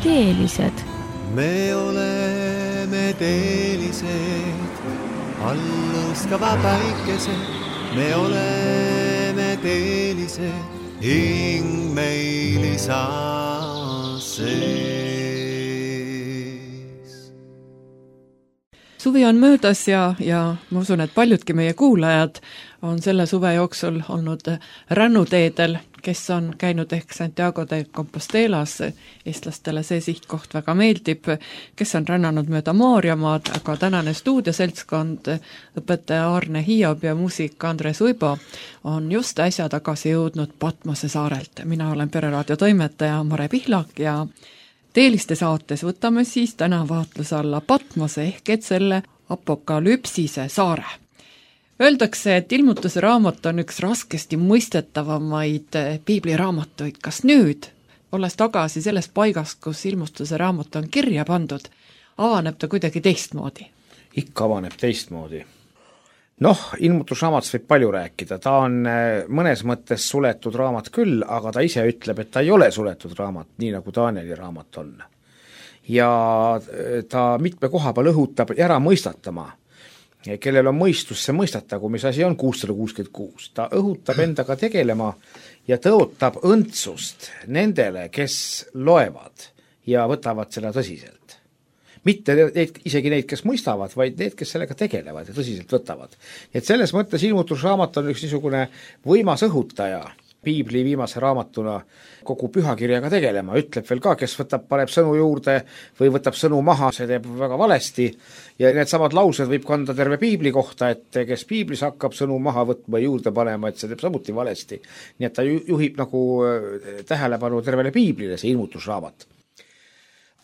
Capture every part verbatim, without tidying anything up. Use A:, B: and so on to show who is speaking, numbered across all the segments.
A: teelised.
B: Me oleme teelised, allõskava päikesed. Me oleme teelised, hing meil isa sees.
C: Suvi on möödas ja, ja ma usun, et paljudki meie kuulajad on selle suve jooksul olnud rännuteedel, kes on käinud ehk Santiago de Compostelas, eestlastele see sihtkoht väga meeldib, kes on rännanud mööda Maarjamaad, aga tänane stuudioseltskond, õpetaja Arne Hiob ja muusik Andres Uibo on just äsja tagasi jõudnud Patmose saarelt. Mina olen Pereraadio toimetaja Mare Pihlak ja teeliste saates võtame siis täna vaatluse alla Patmose ehk et selle apokalüpsise saare. Öeldakse, et ilmutuse raamat on üks raskesti mõistetavamaid piibliraamatuid. Kas nüüd, olles tagasi selles paigas, kus ilmutuse raamat on kirja pandud, avaneb ta kuidagi teistmoodi?
D: Ikka avaneb teistmoodi. Noh, ilmutusraamatus võib palju rääkida. Ta on mõnes mõttes suletud raamat küll, aga ta ise ütleb, et ta ei ole suletud raamat, nii nagu Danieli raamat on. Ja ta mitme koha peal õhutab ära mõistatama. Kellel on mõistus, see mõistatagu, mis asi on kuussada kuuskümmend kuus. Ta õhutab endaga tegelema ja tõotab õndsust nendele, kes loevad ja võtavad seda tõsiselt. Mitte neid, isegi neid, kes mõistavad, vaid need, kes sellega tegelevad ja tõsiselt võtavad. Et selles mõttes ilmutusraamat on üks niisugune võimas õhutaja piibli viimase raamatuna kogu pühakirjaga tegelema. Ütleb veel ka, kes võtab, paneb sõnu juurde või võtab sõnu maha, see teeb väga valesti. Ja need samad laused võib kanda terve piibli kohta, et kes piiblis hakkab sõnu maha võtma juurde panema, et see teeb samuti valesti. Nii et ta juhib nagu tähelepanu tervele piiblile, see ilmutusraamat.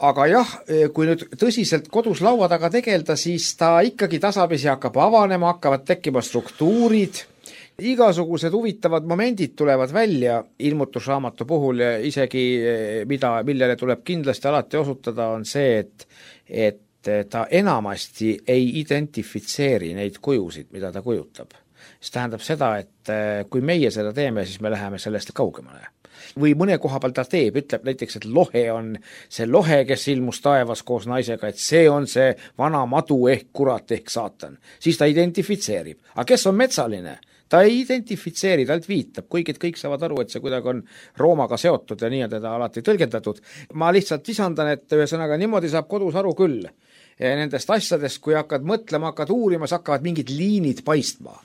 D: Aga jah, kui nüüd tõsiselt kodus laua taga tegelda, siis ta ikkagi tasapisi hakkab avanema, hakkavad tekkima struktuurid. Igasugused huvitavad momendid tulevad välja ilmutusraamatu puhul ja isegi mida, millele tuleb kindlasti alati osutada, on see, et, et ta enamasti ei identifitseeri neid kujusid, mida ta kujutab. See tähendab seda, et kui meie seda teeme, siis me läheme sellest kaugemale. Või mõne koha peal ta teeb, ütleb näiteks, et lohe on see lohe, kes ilmus taevas koos naisega, et see on see vana madu ehk kurat ehk saatan. Siis ta identifitseerib. Aga kes on metsaline? Ta ei identifitseeri, ta viitab, kuigi kõik saavad aru, et see kuidagi on Roomaga seotud ja nii on teda alati tõlgendatud. Ma lihtsalt lisandan, et ühesõnaga niimoodi saab kodus aru küll nendest asjadest, kui hakkad mõtlema, hakkad uurima, siis hakkavad mingid liinid paistma.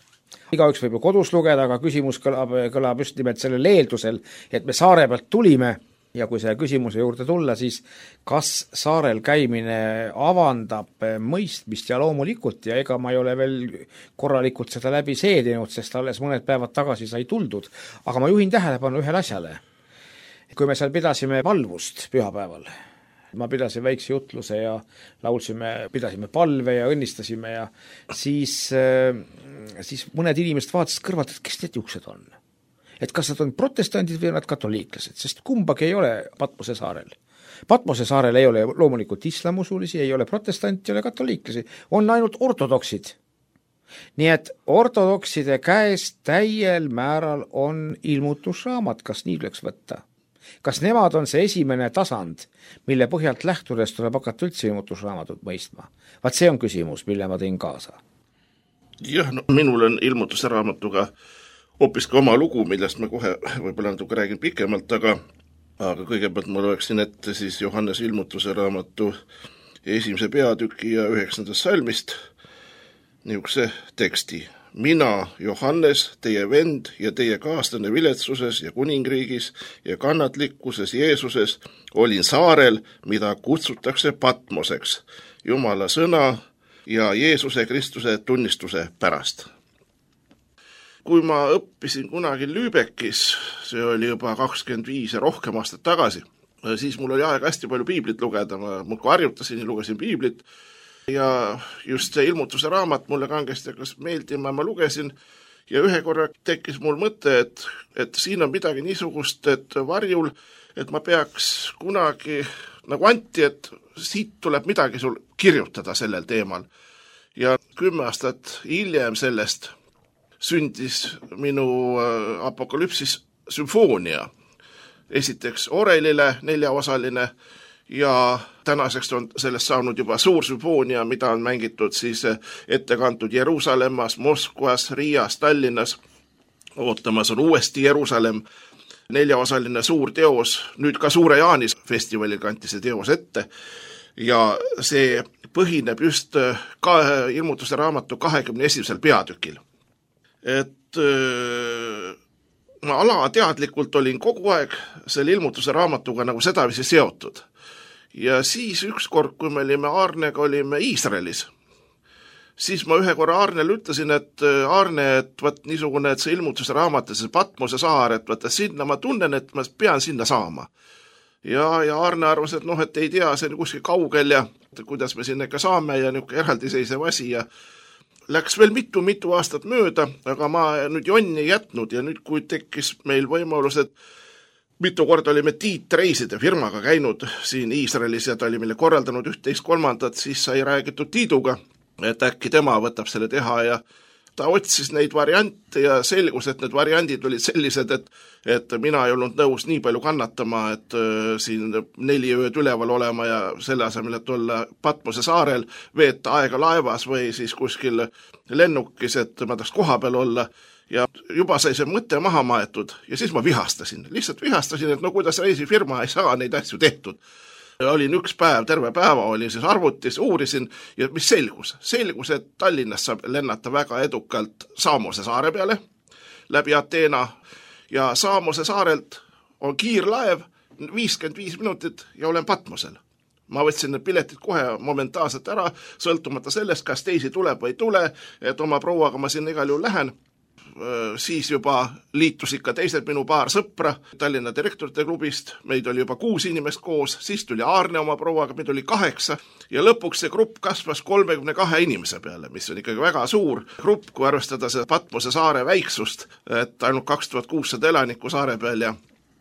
D: Igaüks võib ju kodus lugeda, aga küsimus kõlab, kõlab just nimelt sellel eeldusel, et me saare pealt tulime ja kui selle küsimuse juurde tulla, siis kas saarel käimine avandab mõistmist ja loomulikult ja ega ma ei ole veel korralikult seda läbi seedinud, sest alles mõned päevad tagasi sai tuldud, aga ma juhin tähelepanu ühele asjale. Kui me seal pidasime palvust pühapäeval, ma pidasin väikse jutluse ja laulsime, pidasime palve ja õnnistasime ja siis, siis mõned inimesed vaatasid kõrvalt, et kes need juuksed on. Et kas nad on protestandid või nad katoliiklased, sest kumbagi ei ole Patmose saarel. Patmose saarel ei ole loomulikult islamusulisi, ei ole protestanti, ei ole katoliiklasi, on ainult ortodoksid. Nii et ortodokside käes täiel määral on ilmutusraamat, kas nii tuleks võtta. Kas nemad on see esimene tasand, mille põhjalt lähtudes tuleb hakata üldse ilmutusraamatut mõistma? Vaat see on küsimus, mille ma tõin kaasa.
E: Jah, no, minul on ilmutusraamatuga hoopis ka oma lugu, millest ma kohe võib-olla natuke räägin pikemalt, aga, aga kõigepealt ma loeksin ette siis Johannes ilmutuse raamatu esimese peatüki ja üheksandast salmist niisuguse teksti. Mina, Johannes, teie vend ja teie kaaslane viletsuses ja kuningriigis ja kannatlikkuses Jeesuses olin saarel, mida kutsutakse Patmoseks, Jumala sõna ja Jeesuse Kristuse tunnistuse pärast. Kui ma õppisin kunagi Lübeckis, see oli juba kakskümmend viis ja rohkem aastat tagasi, siis mul oli aeg hästi palju piiblit lugeda, ma muudkui harjutasin ja lugesin piiblit ja just see ilmutuse raamat mulle kangesti hakkas meeldima, ma lugesin ja ühe korra tekkis mul mõte, et, et siin on midagi niisugust, et varjul, et ma peaks kunagi nagu Anti, et siit tuleb midagi sul kirjutada sellel teemal. Ja kümme aastat hiljem sellest sündis minu apokalüpsis sümfoonia. Esiteks Orelile neljaosaline ja tänaseks on sellest saanud juba suur sümfoonia, mida on mängitud siis ette kantud Jeruusalemmas, Moskvas, Riias, Tallinnas. Ootamas on uuesti Jeruusalemm, neljaosaline suur teos, nüüd ka Suure Jaanis festivalil kanti see teos ette ja see põhineb just ka ilmutuse raamatu kahekümne esimesel peatükil. Et ma alateadlikult olin kogu aeg selle ilmutuse raamatuga nagu sedavisi seotud. Ja siis ükskord, kui me olime Aarnega, olime Iisraelis, siis ma ühe korra Aarnele ütlesin, et Aarne, et võt niisugune, et see ilmutuse raamat, see Patmose saar, et võtta sinna, ma tunnen, et ma pean sinna saama. Ja, ja Aarne arvas, et noh, et ei tea, see on kuskil kaugel ja kuidas me sinna ikka saame ja niisugune eraldiseisev asi ja läks veel mitu-mitu aastat mööda, aga ma nüüd jonni ei jätnud ja nüüd, kui tekkis meil võimalus, et mitu korda olime Tiit Reiside firmaga käinud siin Iisraelis ja ta oli meile korraldanud üht-teist kolmandat, siis sai räägitud Tiiduga, et äkki tema võtab selle teha ja ta otsis neid variante ja selgus, et need variandid olid sellised, et, et mina ei olnud nõus nii palju kannatama, et äh, siin neli ööd üleval olema ja selle asemel, et olla Patmose saarel, veeta aega laevas või siis kuskil lennukis, et ma tahaks koha peal olla ja juba sai see mõte maha maetud ja siis ma vihastasin, lihtsalt vihastasin, et no kuidas reisifirma ei saa neid asju tehtud. Olin üks päev, terve päeva olin siis arvutis, uurisin ja mis selgus? Selgus, et Tallinnas saab lennata väga edukalt Saamose saare peale läbi Ateena ja Saamose saarelt on kiirlaev viiskümmend viis minutit ja olen Patmosel. Ma võtsin need piletid kohe momentaalselt ära, sõltumata sellest, kas teisi tuleb või ei tule, et oma prouaga ma sinna igal juhul lähen. Siis juba liitus ikka teised minu paar sõpra Tallinna direktorite klubist, meid oli juba kuus inimest koos, siis tuli Aarne oma prouaga, meid oli kaheksa ja lõpuks see grupp kasvas kolmekümne kahe inimese peale, mis on ikkagi väga suur grupp, kui arvestada see Patmose saare väiksust, et ainult kaks tuhat kuussada elanikku saare peal ja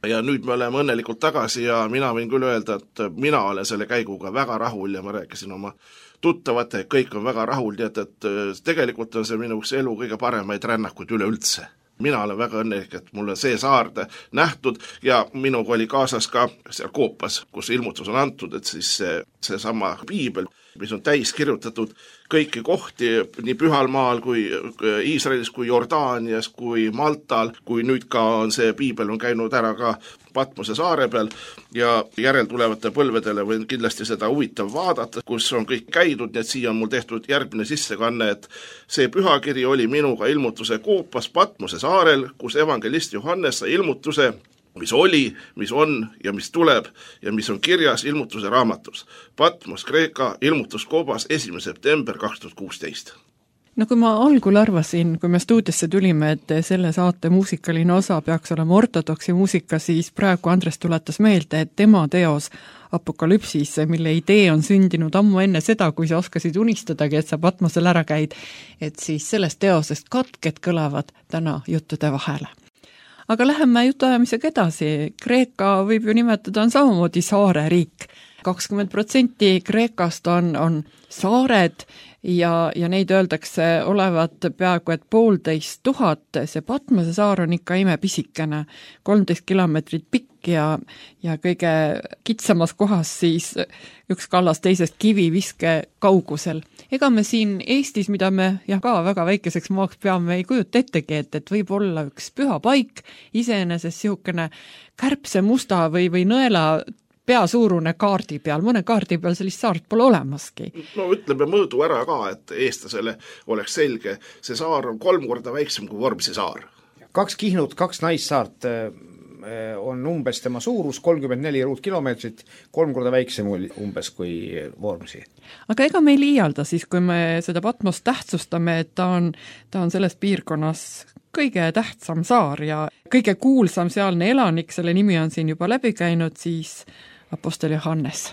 E: ja nüüd me oleme õnnelikult tagasi ja mina võin küll öelda, et mina olen selle käiguga väga rahul ja ma rääkisin oma tuttavate, kõik on väga rahul, nii et, et tegelikult on see minu elu kõige paremaid rännakuid üleüldse. Mina olen väga õnnelik, et mul on see saarde nähtud ja minuga oli kaasas ka seal Koopas, kus ilmutus on antud, et siis see, see sama piibel, mis on täis kirjutatud kõiki kohti nii Pühalmaal kui Iisraelis, kui Jordaanias, kui Maltal, kui nüüd ka on see piibel on käinud ära ka Patmose saare peal ja järeltulevate põlvedele võin kindlasti seda huvitav vaadata, kus on kõik käidud, nii et siia on mul tehtud järgmine sissekanne, et see pühakiri oli minuga ilmutuse Koopas Patmose saarel, kus evangelist Johannes sai ilmutuse, mis oli, mis on ja mis tuleb ja mis on kirjas ilmutuse raamatus. Patmos, Kreeka, ilmutus Koobas esimene september kaks tuhat kuusteist.
C: No kui ma algul arvasin, kui me stuudiosse tulime, et selle saate muusikaline osa peaks olema ortodoksi muusika, siis praegu Andres tuletas meelde, et tema teos Apokalüpsis, mille idee on sündinud ammu enne seda, kui sa oskasid unistadagi, et sa Patmosel ära käid, et siis sellest teosest katked kõlavad täna juttude vahele. Aga läheme jutuajamisega edasi. Kreeka võib ju nimetada on samamoodi saareriik. kakskümmend protsenti Kreekast on, on saared ja, ja neid öeldakse olevat peaaegu et poolteist tuhat. See Patmose saar on ikka imepisikene, kolmteist kilomeetrit pikk ja, ja kõige kitsamas kohas siis üks kallas teisest kiviviske kaugusel. Ega me siin Eestis, mida me ja ka väga väikeseks maaks peame, ei kujuta ettegi, et, et võib olla üks püha paik, iseenesest sihukene kärbse musta või, või nõela peasuurune kaardi peal, mõne kaardi peal sellist saart pole olemaski.
E: No ütleme mõõdu ära ka, et eestlasele oleks selge, see saar on kolm korda väiksem kui Vormsi saar.
D: Kaks Kihnut, kaks naissaart on umbes tema suurus, kolmkümmend neli ruutkilomeetrit, kolm korda väiksem umbes kui Vormsi.
C: Aga ega me ei liialda siis, kui me seda Patmost tähtsustame, et ta on, ta on selles piirkonnas kõige tähtsam saar ja kõige kuulsam sealne elanik, selle nimi on siin juba läbi käinud, siis Apostel Johannes.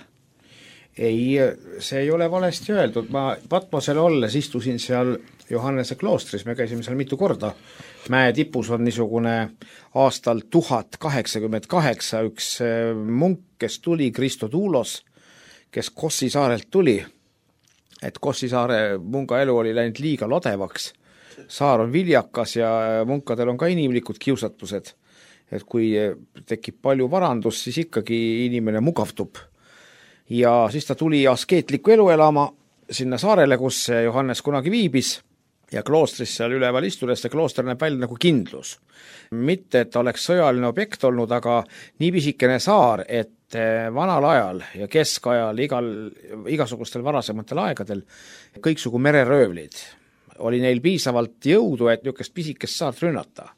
D: Ei, see ei ole valesti öeldud. Ma Patmosel olles istusin seal Johannese kloostris, me käisime seal mitu korda. Mäe tipus on niisugune aastal tuhat kaheksakümmend kaheksa üks munk, kes tuli, Kristo Tuulos, kes Kossi saarelt tuli. Et Kossi saare munga elu oli läinud liiga lodevaks. Saar on viljakas ja munkadel on ka inimlikud kiusatused. Et kui tekib palju varandus, siis ikkagi inimene mugavtub. ja siis ta tuli askeetlikku elu elama sinna saarele, kus Johannes kunagi viibis ja kloostris seal üleval istudes see klooster näeb välja nagu kindlus. Mitte, et ta oleks sõjaline objekt olnud, aga nii pisikene saar, et vanal ajal ja keskajal igal, igasugustel varasematel aegadel kõiksugu mereröövlid oli neil piisavalt jõudu, et niisugust pisikest saart rünnata.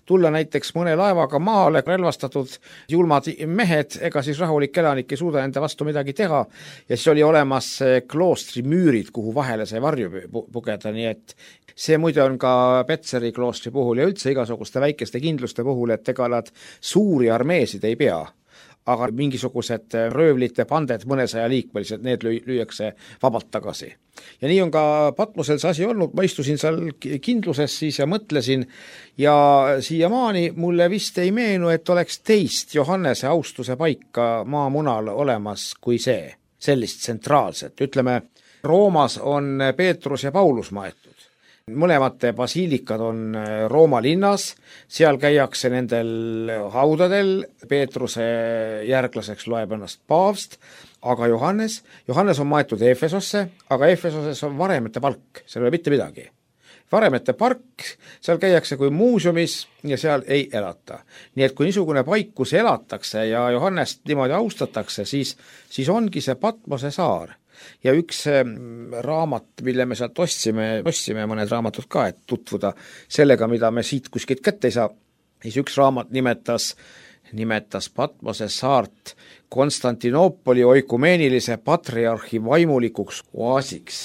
D: Tulla näiteks mõne laevaga maale relvastatud julmad mehed, ega siis rahulik elanik ei suuda enda vastu midagi teha ja siis oli olemas kloostri müürid, kuhu vahele sai varju pugeda, nii et see muide on ka Petseri kloostri puhul ja üldse igasuguste väikeste kindluste puhul, et ega nad suuri armeesid ei pea, aga mingisugused röövlite panded mõnesaja liikmelised, need lüü, lüüakse vabalt tagasi. Ja nii on ka Patmosel see asi olnud, ma istusin seal kindluses siis ja mõtlesin ja siiamaani mulle vist ei meenu, et oleks teist Johannese austuse paika maamunal olemas kui see, sellist tsentraalset. Ütleme, Roomas on Peetrus ja Paulus maetud. Mõlemate basiilikad on Rooma linnas, seal käiakse nendel haudadel, Peetruse järglaseks loeb ennast paavst, aga Johannes, Johannes on maetud Efesosse, aga Efesoses on varemete palk, seal ei ole mitte midagi. Varemete park, seal käiakse kui muuseumis ja seal ei elata. Nii et kui niisugune paik, kus elatakse ja Johannest niimoodi austatakse, siis, siis ongi see Patmose saar. Ja üks raamat, mille me sealt ostsime, ostsime mõned raamatud ka, et tutvuda sellega, mida me siit kuskilt kätte ei saa, siis üks raamat nimetas, nimetas Patmose saart Konstantinoopoli oikumeenilise patriarhi vaimulikuks oasiks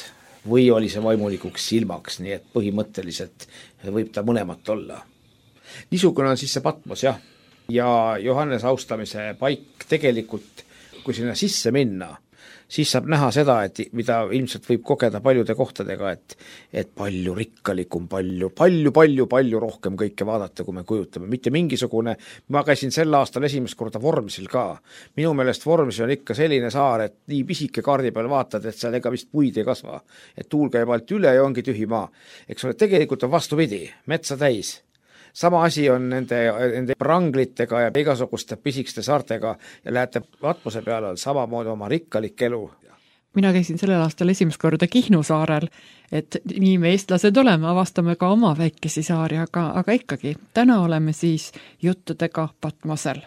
D: või oli see vaimulikuks silmaks, nii et põhimõtteliselt võib ta mõlemat olla. Niisugune on siis see Patmos, jah. Ja Johannes austamise paik tegelikult, kui sinna sisse minna, siis saab näha seda, et mida ilmselt võib kogeda paljude kohtadega, et, et palju rikkalikum, palju, palju, palju, palju rohkem kõike vaadata, kui me kujutame. Mitte mingisugune, ma käisin sel aastal esimest korda Vormsil ka. Minu meelest Vormsil on ikka selline saar, et nii pisike kaardi peal vaatad, et seal ega vist puid ei kasva. Et tuul käib alt üle ja ongi tühi maa. Eks ole, tegelikult on vastupidi, metsa täis. Sama asi on nende, nende pranglitega ja igasuguste pisikeste saartega ja lähete Patmose peale on samamoodi oma rikkalik elu.
C: Mina käisin sellel aastal esimest korda Kihnu saarel, et nii me eestlased oleme, avastame ka oma väikesi saari, aga, aga ikkagi, täna oleme siis juttudega Patmosel.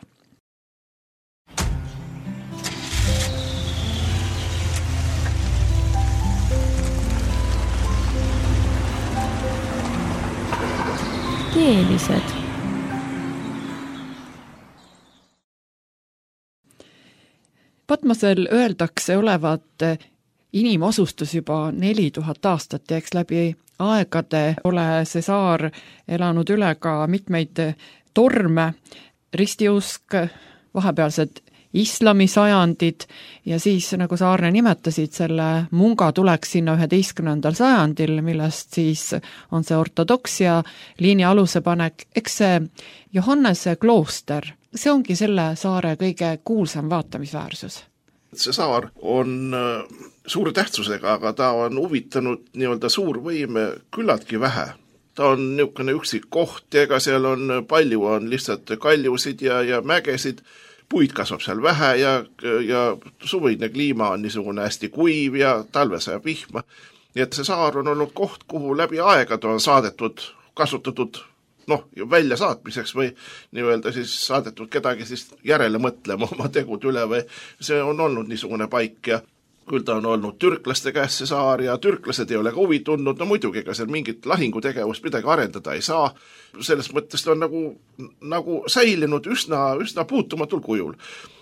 A: Keelised.
C: Patmosel öeldakse olevat inimosustus juba neli tuhat aastat ja eks läbi aegade ole see saar elanud üle ka mitmeid torme, ristiusk, vahepealsed islamisajandid ja siis, nagu sa Arne nimetasid, selle munga tuleks sinna üheteistkümnendal sajandil, millest siis on see ortodoksia liini aluse panek. Eks see Johannese klooster, see ongi selle saare kõige kuulsam vaatamisväärsus.
E: See saar on suure tähtsusega, aga ta on huvitanud nii-öelda suurvõime küllaltki vähe. Ta on niisugune üksik koht, ega seal on palju, on lihtsalt kaljusid ja, ja mägesid, puid kasvab seal vähe ja, ja suvine kliima on niisugune hästi kuiv ja talve sajab vihma. Nii et see saar on olnud koht, kuhu läbi aegade on saadetud, kasutatud noh, välja saatmiseks või nii-öelda siis saadetud kedagi siis järele mõtlema oma tegud üle või see on olnud niisugune paik ja küll ta on olnud türklaste käes see saar ja türklased ei ole ka huvi tundnud, no muidugi ega seal mingit lahingutegevust midagi arendada ei saa, selles mõttes ta on nagu, nagu säilinud üsna, üsna puutumatul kujul.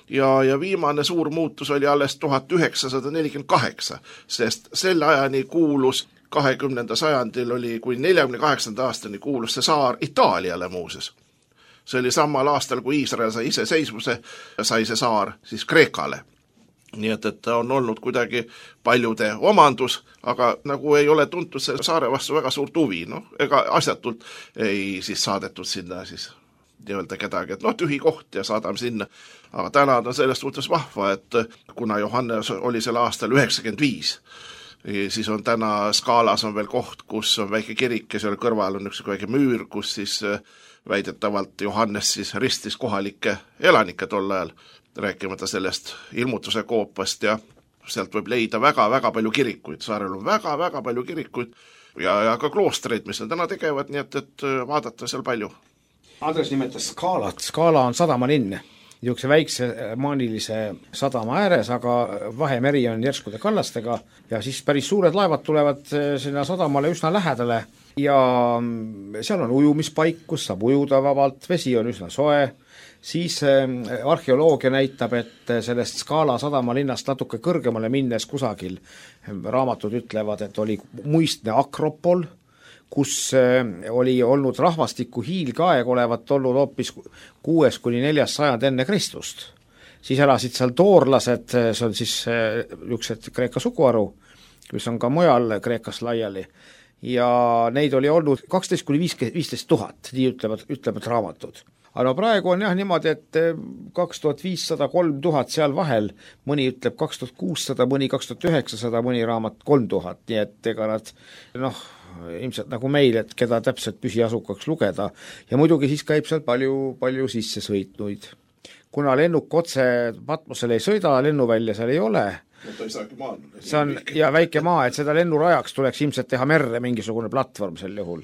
E: Ja, ja viimane suur muutus oli alles tuhat üheksasada nelikümmend kaheksa, sest selle ajani kuulus kahekümnenda sajandil oli, kui neljakümne kaheksanda aastani kuulus see saar Itaaliale muuses. See oli samal aastal, kui Iisrael sai iseseisvuse, sai see saar siis Kreekale. Nii et, et ta on olnud kuidagi paljude omandus, aga nagu ei ole tuntud see saare vastu väga suurt huvi, no, ega asjatult ei siis saadetud sinna siis nii-öelda kedagi, et noh, tühi koht ja saadame sinna. Aga täna on sellest suhtes vahva, et kuna Johannes oli sel aastal üheksakümmend viis, siis on täna skaalas on veel koht, kus on väike kirik ja seal kõrval on üks väike müür, kus siis väidetavalt Johannes siis ristis kohalikke elanikke tol ajal, rääkimata sellest ilmutuse koopast ja sealt võib leida väga-väga palju kirikuid, saarel on väga-väga palju kirikuid ja, ja ka kloostreid, mis on täna tegevad, nii et, et vaadata seal palju.
D: Andres nimetas Skaalat, Skaala on sadamalinn, niisuguse väikse maanilise sadama ääres, aga Vahemeri on järskude kallastega ja siis päris suured laevad tulevad sinna sadamale üsna lähedale ja seal on ujumispaik, kus saab ujuda vabalt, vesi on üsna soe, siis arheoloogia näitab, et sellest Skaala sadamalinnast natuke kõrgemale minnes kusagil raamatud ütlevad, et oli muistne Akropol, kus oli olnud rahvastiku hiilgaeg olevat olnud hoopis kuues kuni neljas sajand enne Kristust. Siis elasid seal toorlased, see on siis niisugused Kreeka suguharu, mis on ka mujal Kreekas laiali, ja neid oli olnud kaksteist kuni viisteist tuhat, nii ütlevad, ütlevad raamatud. Aga no praegu on jah niimoodi, et kaks tuhat viissada kolm tuhat seal vahel, mõni ütleb kaks tuhat kuussada, mõni kaks tuhat üheksasada, mõni raamat kolm tuhat, nii et ega nad noh, ilmselt nagu meil, et keda täpselt püsiasukaks lugeda ja muidugi siis käib seal palju, palju sisse sõitnuid. Kuna lennuk otse Patmosele ei sõida, lennuvälja seal ei ole,
E: no, ta ei saagi maa,
D: see on ja väike maa, et seda lennurajaks tuleks ilmselt teha merre mingisugune platvorm sel juhul.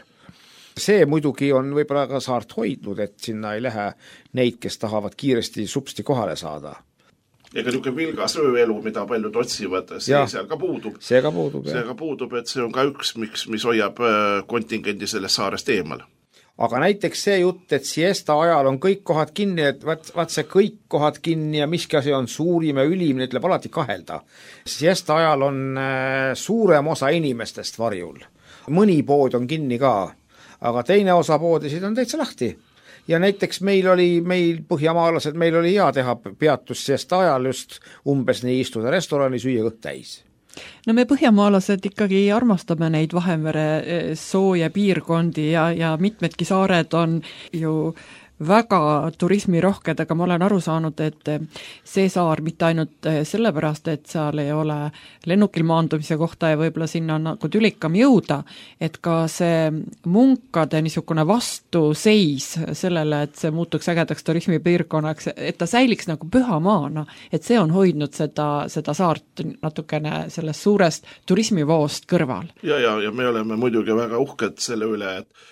D: See muidugi on võib-olla ka saart hoidnud, et sinna ei lähe neid, kes tahavad kiiresti supsti kohale saada.
E: Ega niisugune vilgas ööelu, mida paljud otsivad, see ja, seal ka puudub.
D: See ka puudub,
E: see ka puudub, et see on ka üks, miks, mis hoiab kontingendi sellest saarest eemal.
D: Aga näiteks see jutt, et siesta ajal on kõik kohad kinni, et vaat, vaat see kõik kohad kinni ja miski asi on suurim ja ülim, need tuleb alati kahelda. Siesta ajal on suurem osa inimestest varjul. Mõni pood on kinni ka, aga teine osa poodisid on täitsa lahti. Ja näiteks meil oli, meil põhjamaalased, meil oli hea teha peatus siesta ajal just umbes nii istuda restorani, süüa kõht täis.
C: No me põhjamaalased ikkagi armastame neid Vahemere sooja piirkondi ja, ja mitmedki saared on ju väga turismirohked, aga ma olen aru saanud, et see saar mitte ainult sellepärast, et seal ei ole lennukil maandumise kohta ja võib-olla sinna on nagu tülikam jõuda, et ka see munkade niisugune vastuseis sellele, et see muutuks ägedaks turismipiirkonnaks, et ta säiliks nagu pühamaana, et see on hoidnud seda, seda saart natukene sellest suurest turismivoost kõrval.
E: Ja, ja, ja me oleme muidugi väga uhked selle üle, et,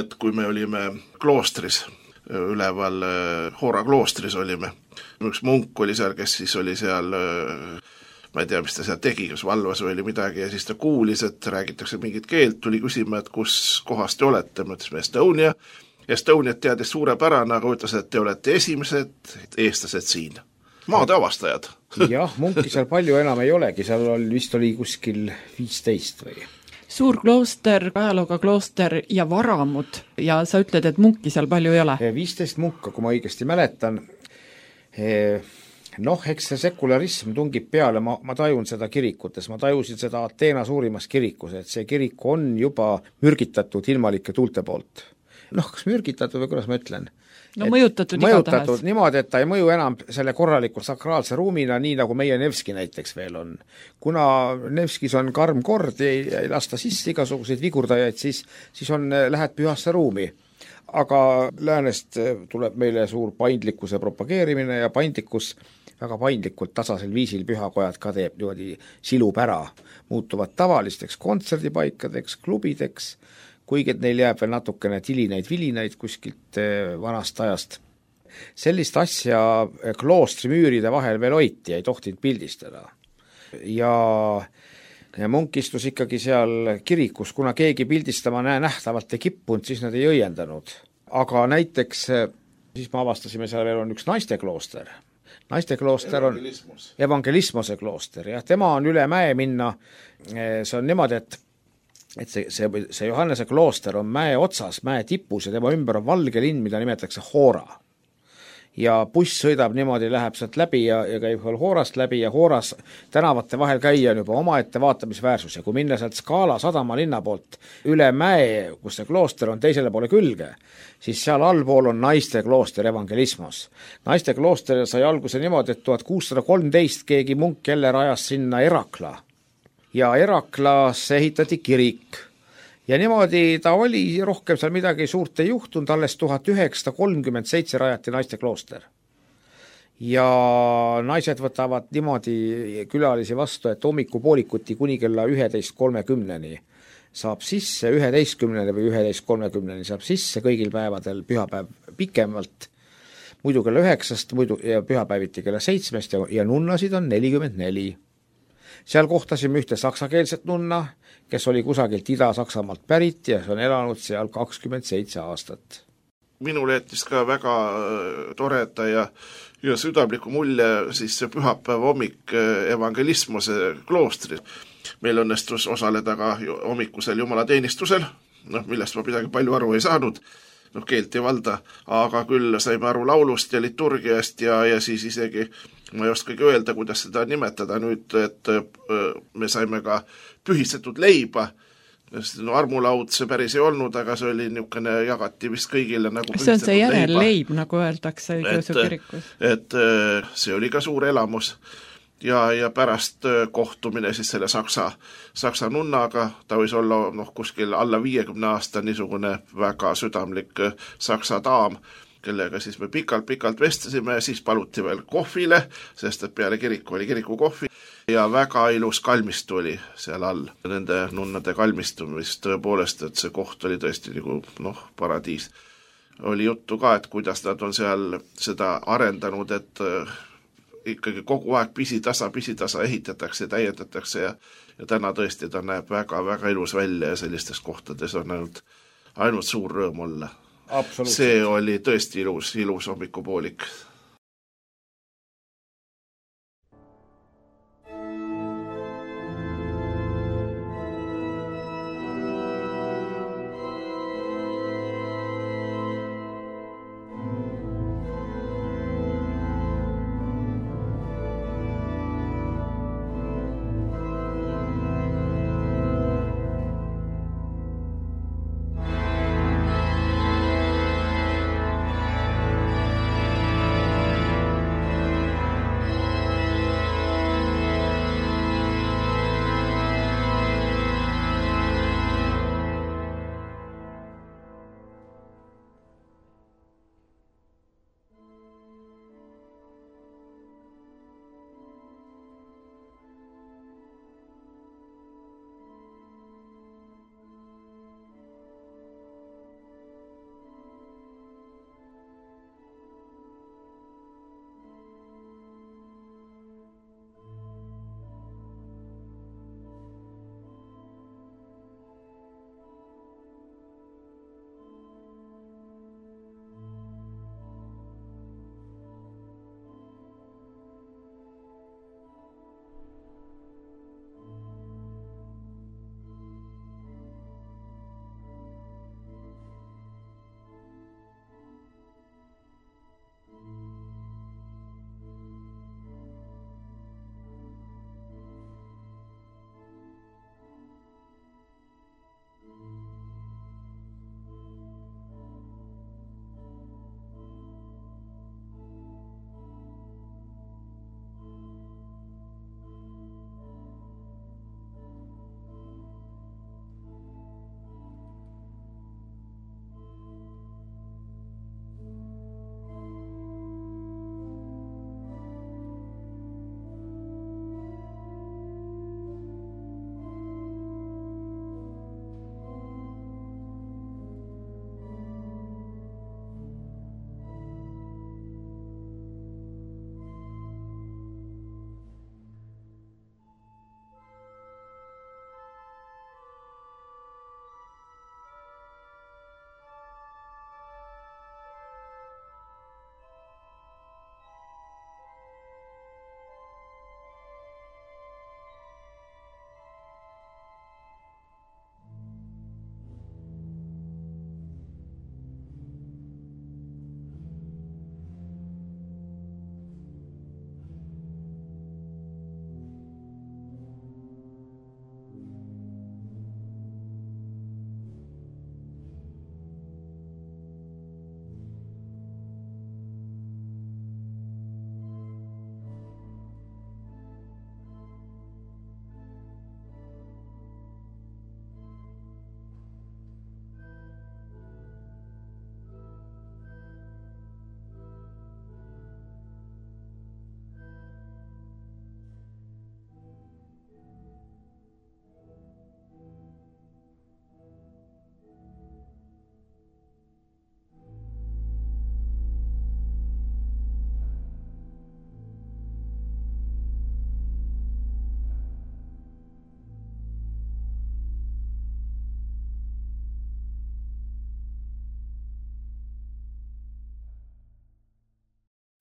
E: et kui me olime kloostris, üleval Hoora kloostris olime. Üks munk oli seal, kes siis oli seal, ma ei tea, mis ta seal tegi, kas valvas või oli midagi ja siis ta kuulis, et räägitakse mingit keelt, tuli küsima, et kus kohast te olete, me ütlesime Estonia. Estoniat teadis suurepärane, aga ütles, et te olete esimesed eestlased siin. Maade avastajad.
D: Jah, munki seal palju enam ei olegi, seal oli, vist oli kuskil viisteist või?
C: Suur klooster, ajalooga klooster ja varamud ja sa ütled, et munki seal palju ei ole?
D: viisteist munka, kui ma õigesti mäletan. Noh, eks see sekularism tungib peale, ma, ma tajun seda kirikutes, ma tajusin seda Ateena suurimas kirikus, et see kirik on juba mürgitatud ilmalike tuulte poolt. Noh, kas mürgitatud või kuidas ma ütlen?
C: No mõjutatud,
D: mõjutatud niimoodi, et ta ei mõju enam selle korraliku sakraalse ruumina, nii nagu meie Nevski näiteks veel on. Kuna Nevskis on karm kord ja ei, ei lasta sisse igasuguseid vigurdajaid, siis, siis on, lähed pühasse ruumi. Aga läänest tuleb meile suur paindlikkuse propageerimine ja paindlikkus väga paindlikult tasasel viisil pühakojad ka teeb niimoodi silub ära, muutuvad tavalisteks kontserdipaikadeks, klubideks, kuigi neil jääb veel natukene tilineid vilinaid kuskilt vanast ajast. Sellist asja kloostri müüride vahel veel hoiti, ei tohtinud pildistada. Ja, ja munk istus ikkagi seal kirikus, kuna keegi pildistama näe nähtavalt ei kippunud, siis nad ei õiendanud. Aga näiteks, siis me avastasime, seal veel on üks naisteklooster. Naisteklooster on evangelismose klooster, ja tema on üle mäe minna, see on niimoodi, et et see, see, see Johannese klooster on mäe otsas, mäe tipus ja tema ümber on valge linn, mida nimetatakse Hoora. Ja buss sõidab niimoodi, läheb sealt läbi ja, ja käib Hoorast läbi ja Hooras tänavate vahel käia on juba omaette vaatamisväärsus ja kui minna sealt Skaala sadama linna poolt üle mäe, kus see klooster on teisele poole külge, siis seal allpool on naiste klooster evangelismos. Naiste klooster sai alguse niimoodi, et tuhat kuussada kolmteist keegi munk jälle rajas sinna Erakla. Ja Eraklaas ehitati kirik ja niimoodi ta oli, rohkem seal midagi suurt ei juhtunud, alles tuhat üheksasada kolmkümmend seitse rajati naiste klooster. Ja naised võtavad niimoodi külalisi vastu, et hommikupoolikuti kuni kella üheteist kolmekümneni saab sisse, üheteistkümneni või üheteist kolmekümneni saab sisse kõigil päevadel, pühapäev pikemalt, muidu kella üheksast muidu, ja pühapäeviti kella seitsmest ja, ja nunnasid on nelikümmend neli. Seal kohtasime ühte saksakeelset nunna, kes oli kusagilt Ida-Saksamaalt pärit ja on elanud seal kakskümmend seitse aastat.
E: Minule jättis ka väga toreda ja, ja südamliku mulje siis see pühapäeva hommik evangelismose kloostris. Meil õnnestus osaleda ka hommikusel jumalateenistusel, noh, millest ma midagi palju aru ei saanud, noh, keelt ei valda, aga küll saime aru laulust ja liturgiast ja, ja siis isegi ma ei oskagi öelda, kuidas seda nimetada nüüd, et me saime ka pühistatud leiba. No, armulaud see päris ei olnud, aga see oli niisugune, jagati vist kõigile nagu
C: see on see järelleib, nagu öeldakse õigeusu kirikus.
E: Et see oli ka suur elamus ja, ja pärast kohtumine siis selle saksa, saksa nunnaga, ta võis olla noh, kuskil alla viiekümne aasta niisugune väga südamlik saksa daam, kellega siis me pikalt-pikalt vestlesime ja siis paluti veel kohvile, sest et peale kiriku oli kiriku kohvi ja väga ilus kalmistu oli seal all. Nende nunnade kalmistumist tõepoolest, et see koht oli tõesti nagu noh, paradiis. Oli juttu ka, et kuidas nad on seal seda arendanud, et ikkagi kogu aeg pisitasa, pisitasa ehitatakse ja täiendatakse ja, ja täna tõesti ta näeb väga-väga ilus välja ja sellistes kohtades on ainult, ainult suur rõõm olla. See oli tõesti ilus, ilus hommikupoolik.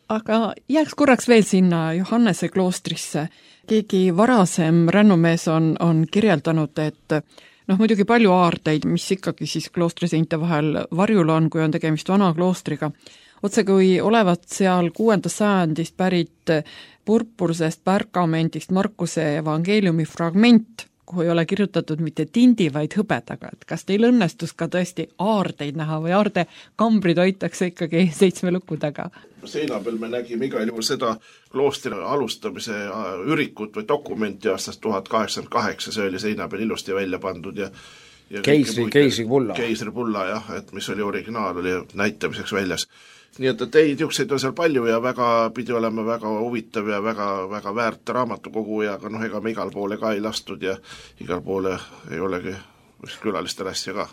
C: Aga jääks korraks veel sinna Johannese kloostrisse. Keegi varasem rännumees on, on kirjeldanud, et noh, muidugi palju aardeid, mis ikkagi siis kloostriseinte vahel varjul on, kui on tegemist vana kloostriga. Otse kui olevat seal kuuendast sajandist pärit purpursest pergamendist Markuse evangeeliumi fragment, kuhu ei ole kirjutatud mitte tindi, vaid hõbedaga. Et kas teil õnnestus ka tõesti aardeid näha või aarde kambrid hoitakse ikkagi seitsme luku taga?
E: Seina peal me nägime igal juhul seda kloostri alustamise ürikut või dokumenti aastast tuhat kaheksakümmend kaheksa, see oli seina peal ilusti välja pandud ja, ja
D: keisri, keisri pulla.
E: Keisri pulla, jah, et mis oli originaal, oli näitamiseks väljas. Nii et teid jukseid on seal palju ja väga pidi olema väga huvitav ja väga, väga väärt raamatukogu ja aga noh, ega me igal poole ka ei lastud ja igal poole ei olegi külalistele asja ka.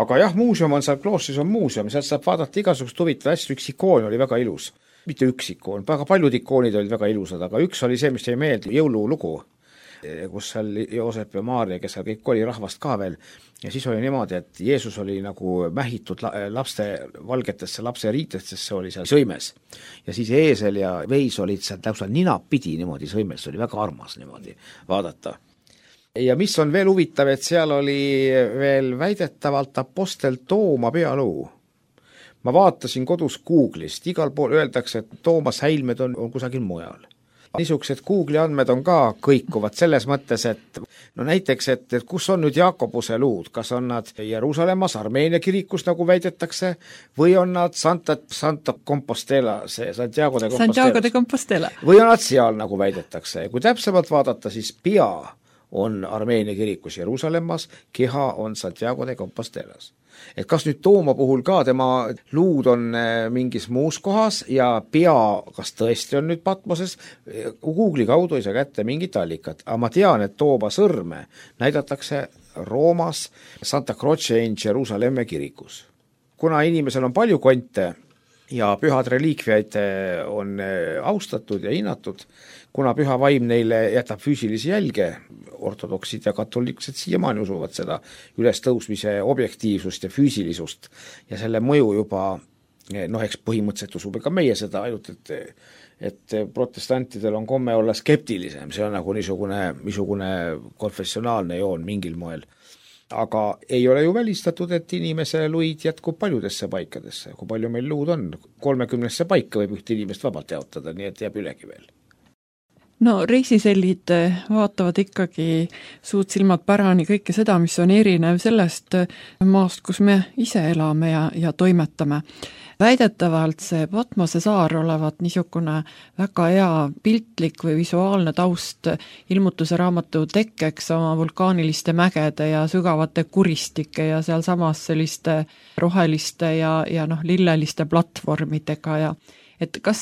D: Aga jah, muuseum on seal, kloostris on muuseum, sealt saab vaadata igasugust huvitav asju, üks ikoon oli väga ilus. Mitte üks ikoon, väga paljud ikoonid olid väga ilusad, aga üks oli see, mis jäi meelde, jõululugu, kus seal Joosep ja Maaria, kes seal kõik oli rahvast ka veel, ja siis oli niimoodi, et Jeesus oli nagu mähitud lapste valgetesse lapse riitestesse, oli seal sõimes. Ja siis eesel ja veis olid seal täpselt ninapidi niimoodi sõimes, oli väga armas niimoodi vaadata. Ja mis on veel huvitav, et seal oli veel väidetavalt apostel Tooma pealuu. Ma vaatasin kodus Google'ist, igal pool öeldakse, et Toomas häilmed on, on kusagil mujal. Niisugused Google'i andmed on ka kõikuvad selles mõttes, et no näiteks, et, et kus on nüüd Jaakobuse luud, kas on nad Jeruusalemmas, Armeenia kirikus, nagu väidetakse, või on nad Santa, Santa Compostela, see Santiago de Compostela.
C: Santiago de Compostela.
D: Või on nad seal, nagu väidetakse. Kui täpsemalt vaadata, siis pea on Armeenia kirikus Jeruusalemmas, keha on Santiago de Compostelas. Et kas nüüd Tooma puhul ka tema luud on mingis muus kohas ja pea, kas tõesti on nüüd Patmoses, Google'i kaudu ei saa kätte mingit allikat, aga ma tean, et Tooma sõrme näidatakse Roomas Santa Croce in Jeruusalemma kirikus. Kuna inimesel on palju konte ja pühad reliikviaid on austatud ja hinnatud, kuna püha vaim neile jätab füüsilisi jälge, ortodoksid ja katoliksed siiamaani usuvad seda ülestõusmise objektiivsust ja füüsilisust ja selle mõju juba, noh, eks põhimõtteliselt usub ka meie seda, ainult et, et protestantidel on komme olla skeptilisem, see on nagu niisugune, niisugune konfessionaalne joon mingil moel. Aga ei ole ju välistatud, et inimese luid jätkub paljudesse paikadesse, kui palju meil luud on, kolmekümnesse paika võib üht inimest vabalt jaotada, nii et jääb ülegi veel.
C: No reisisellid vaatavad ikkagi suud silmad pärani kõike seda, mis on erinev sellest maast, kus me ise elame ja, ja toimetame. Väidetavalt see Patmose saar olevat niisugune väga hea piltlik või visuaalne taust ilmutuse raamatu tekkeks oma vulkaaniliste mägede ja sügavate kuristike ja seal samas selliste roheliste ja, ja noh, lilleliste platvormidega ja et kas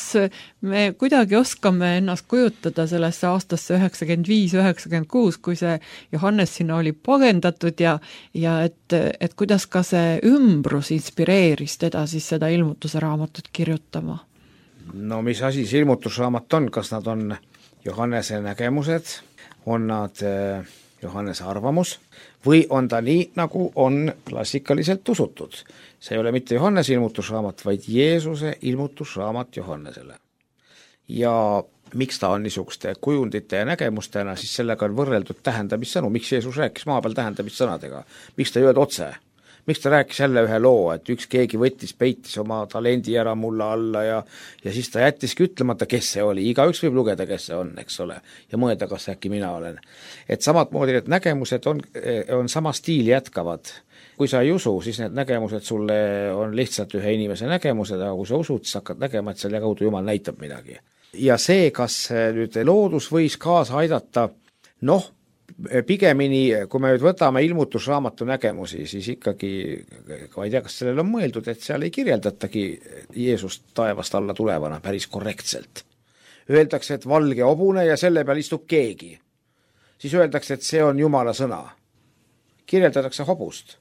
C: me kuidagi oskame ennast kujutada sellesse aastasse üheksakümmend viis üheksakümmend kuus, kui see Johannes sinna oli pagendatud ja, ja et, et kuidas ka see ümbrus inspireeris teda siis seda ilmutuse raamatut kirjutama?
D: No mis asi see ilmutusraamat on, kas nad on Johannese nägemused, on nad Johannese arvamus või on ta nii, nagu on klassikaliselt usutud. See ei ole mitte Johannese ilmutusraamat, vaid Jeesuse ilmutusraamat Johannesele. Ja miks ta on niisuguste kujundite ja nägemustena, siis sellega on võrreldud tähendamissõnu, miks Jeesus rääkis maa peal tähendamissõnadega, miks ta ei öelnud otse, miks ta rääkis jälle ühe loo, et üks keegi võttis, peitis oma talendi ära mulla alla ja, ja siis ta jättiski ütlemata, kes see oli, igaüks võib lugeda, kes see on, eks ole, ja mõelda, kas äkki mina olen. Et samad moodi need nägemused on, on sama stiili jätkavad. Kui sa ei usu, siis need nägemused sulle on lihtsalt ühe inimese nägemused, aga kui sa usud, siis hakkad nägema, et selle kaudu Jumal näitab midagi. Ja see, kas nüüd loodus võis kaasa aidata, noh, pigemini, kui me nüüd võtame ilmutusraamatu nägemusi, siis ikkagi, ma ei tea, kas sellel on mõeldud, et seal ei kirjeldatagi Jeesust taevast alla tulevana päris korrektselt. Öeldakse, et valge hobune ja selle peal istub keegi. Siis öeldakse, et see on Jumala sõna. Kirjeldatakse hobust.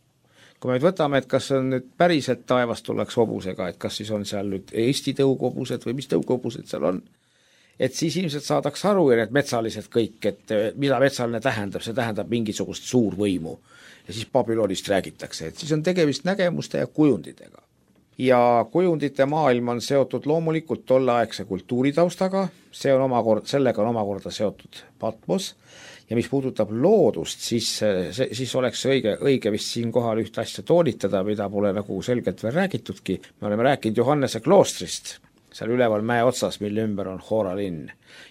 D: Kui me nüüd võtame, et kas on nüüd päriselt taevast tullaks hobusega, et kas siis on seal nüüd Eesti tõughobused või mis tõughobused seal on, et siis ilmselt saadaks aru ja need metsalised kõik, et mida metsaline tähendab, see tähendab mingisugust suurvõimu. Ja siis Babylonist räägitakse, et siis on tegemist nägemuste ja kujundidega. ja kujundite maailm on seotud loomulikult tolleaegse kultuuritaustaga, see on omakorda, sellega on omakorda seotud Patmos, ja mis puudutab loodust, siis, siis oleks õige, õige vist siin kohal ühte asja toonitada, mida pole nagu selgelt veel räägitudki. Me oleme rääkinud Johannese kloostrist, seal üleval mäe otsas, mille ümber on Hora linn.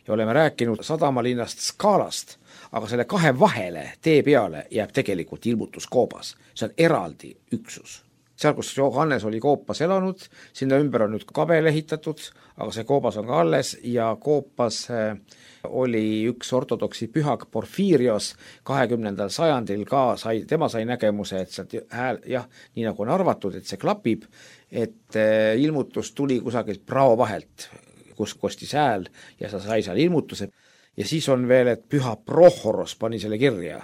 D: Ja oleme rääkinud sadamalinnast Skaalast, aga selle kahe vahele, tee peale, jääb tegelikult ilmutuskoobas. See on eraldi üksus. Seal, kus Johannes oli koopas elanud, sinna ümber on nüüd kabel ehitatud, aga see koobas on ka alles ja koopas oli üks ortodoksi pühak Porfirios kahekümnendal sajandil ka, sai, tema sai nägemuse, et sealt hääl, jah, nii nagu on arvatud, et see klapib, et ilmutus tuli kusagilt prao vahelt, kus kostis hääl ja sa sai seal ilmutuse. Ja siis on veel, et püha Prohoros pani selle kirja.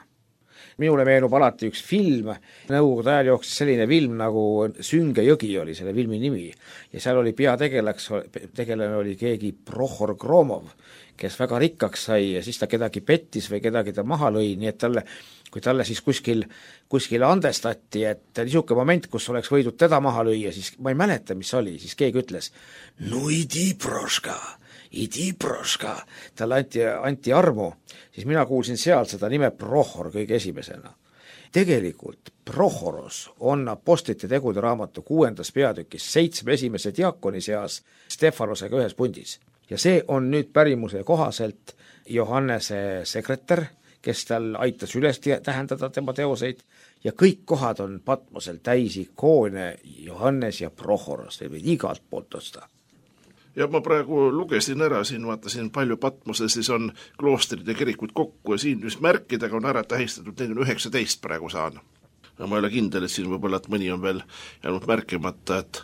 D: Minule meenub alati üks film, nõukogude ajal jooksis selline film nagu Sünge jõgi oli selle filmi nimi ja seal oli peategelaks, tegelane oli keegi Prohor Gromov, kes väga rikkaks sai ja siis ta kedagi pettis või kedagi ta maha lõi, nii et talle, kui talle siis kuskil, kuskil andestati, et niisugune moment, kus oleks võidud teda maha lüüa, siis ma ei mäleta, mis oli, siis keegi ütles, no idi proška, idi proška, talle anti, anti armu, siis mina kuulsin seal seda nime Prohor kõige esimesena. Tegelikult Prohoros on apostlite tegude raamatu kuuendas peatükis seitsme esimese diakoni seas Stefanosega ühes pundis. Ja see on nüüd pärimuse kohaselt Johannese sekretär, kes tal aitas üles tähendada tema teoseid ja kõik kohad on Patmosel täis ikoone Johannes ja Prohoros, või igalt poolt osta.
E: Ja ma praegu lugesin ära, siin vaatasin palju Patmose, siis on kloostrid ja kirikud kokku ja siin just märkidega on ära tähistatud, neid on üheksateist praegu saan. Ja ma ei ole kindel, et siin võib-olla, et mõni on veel jäänud märkimata, et,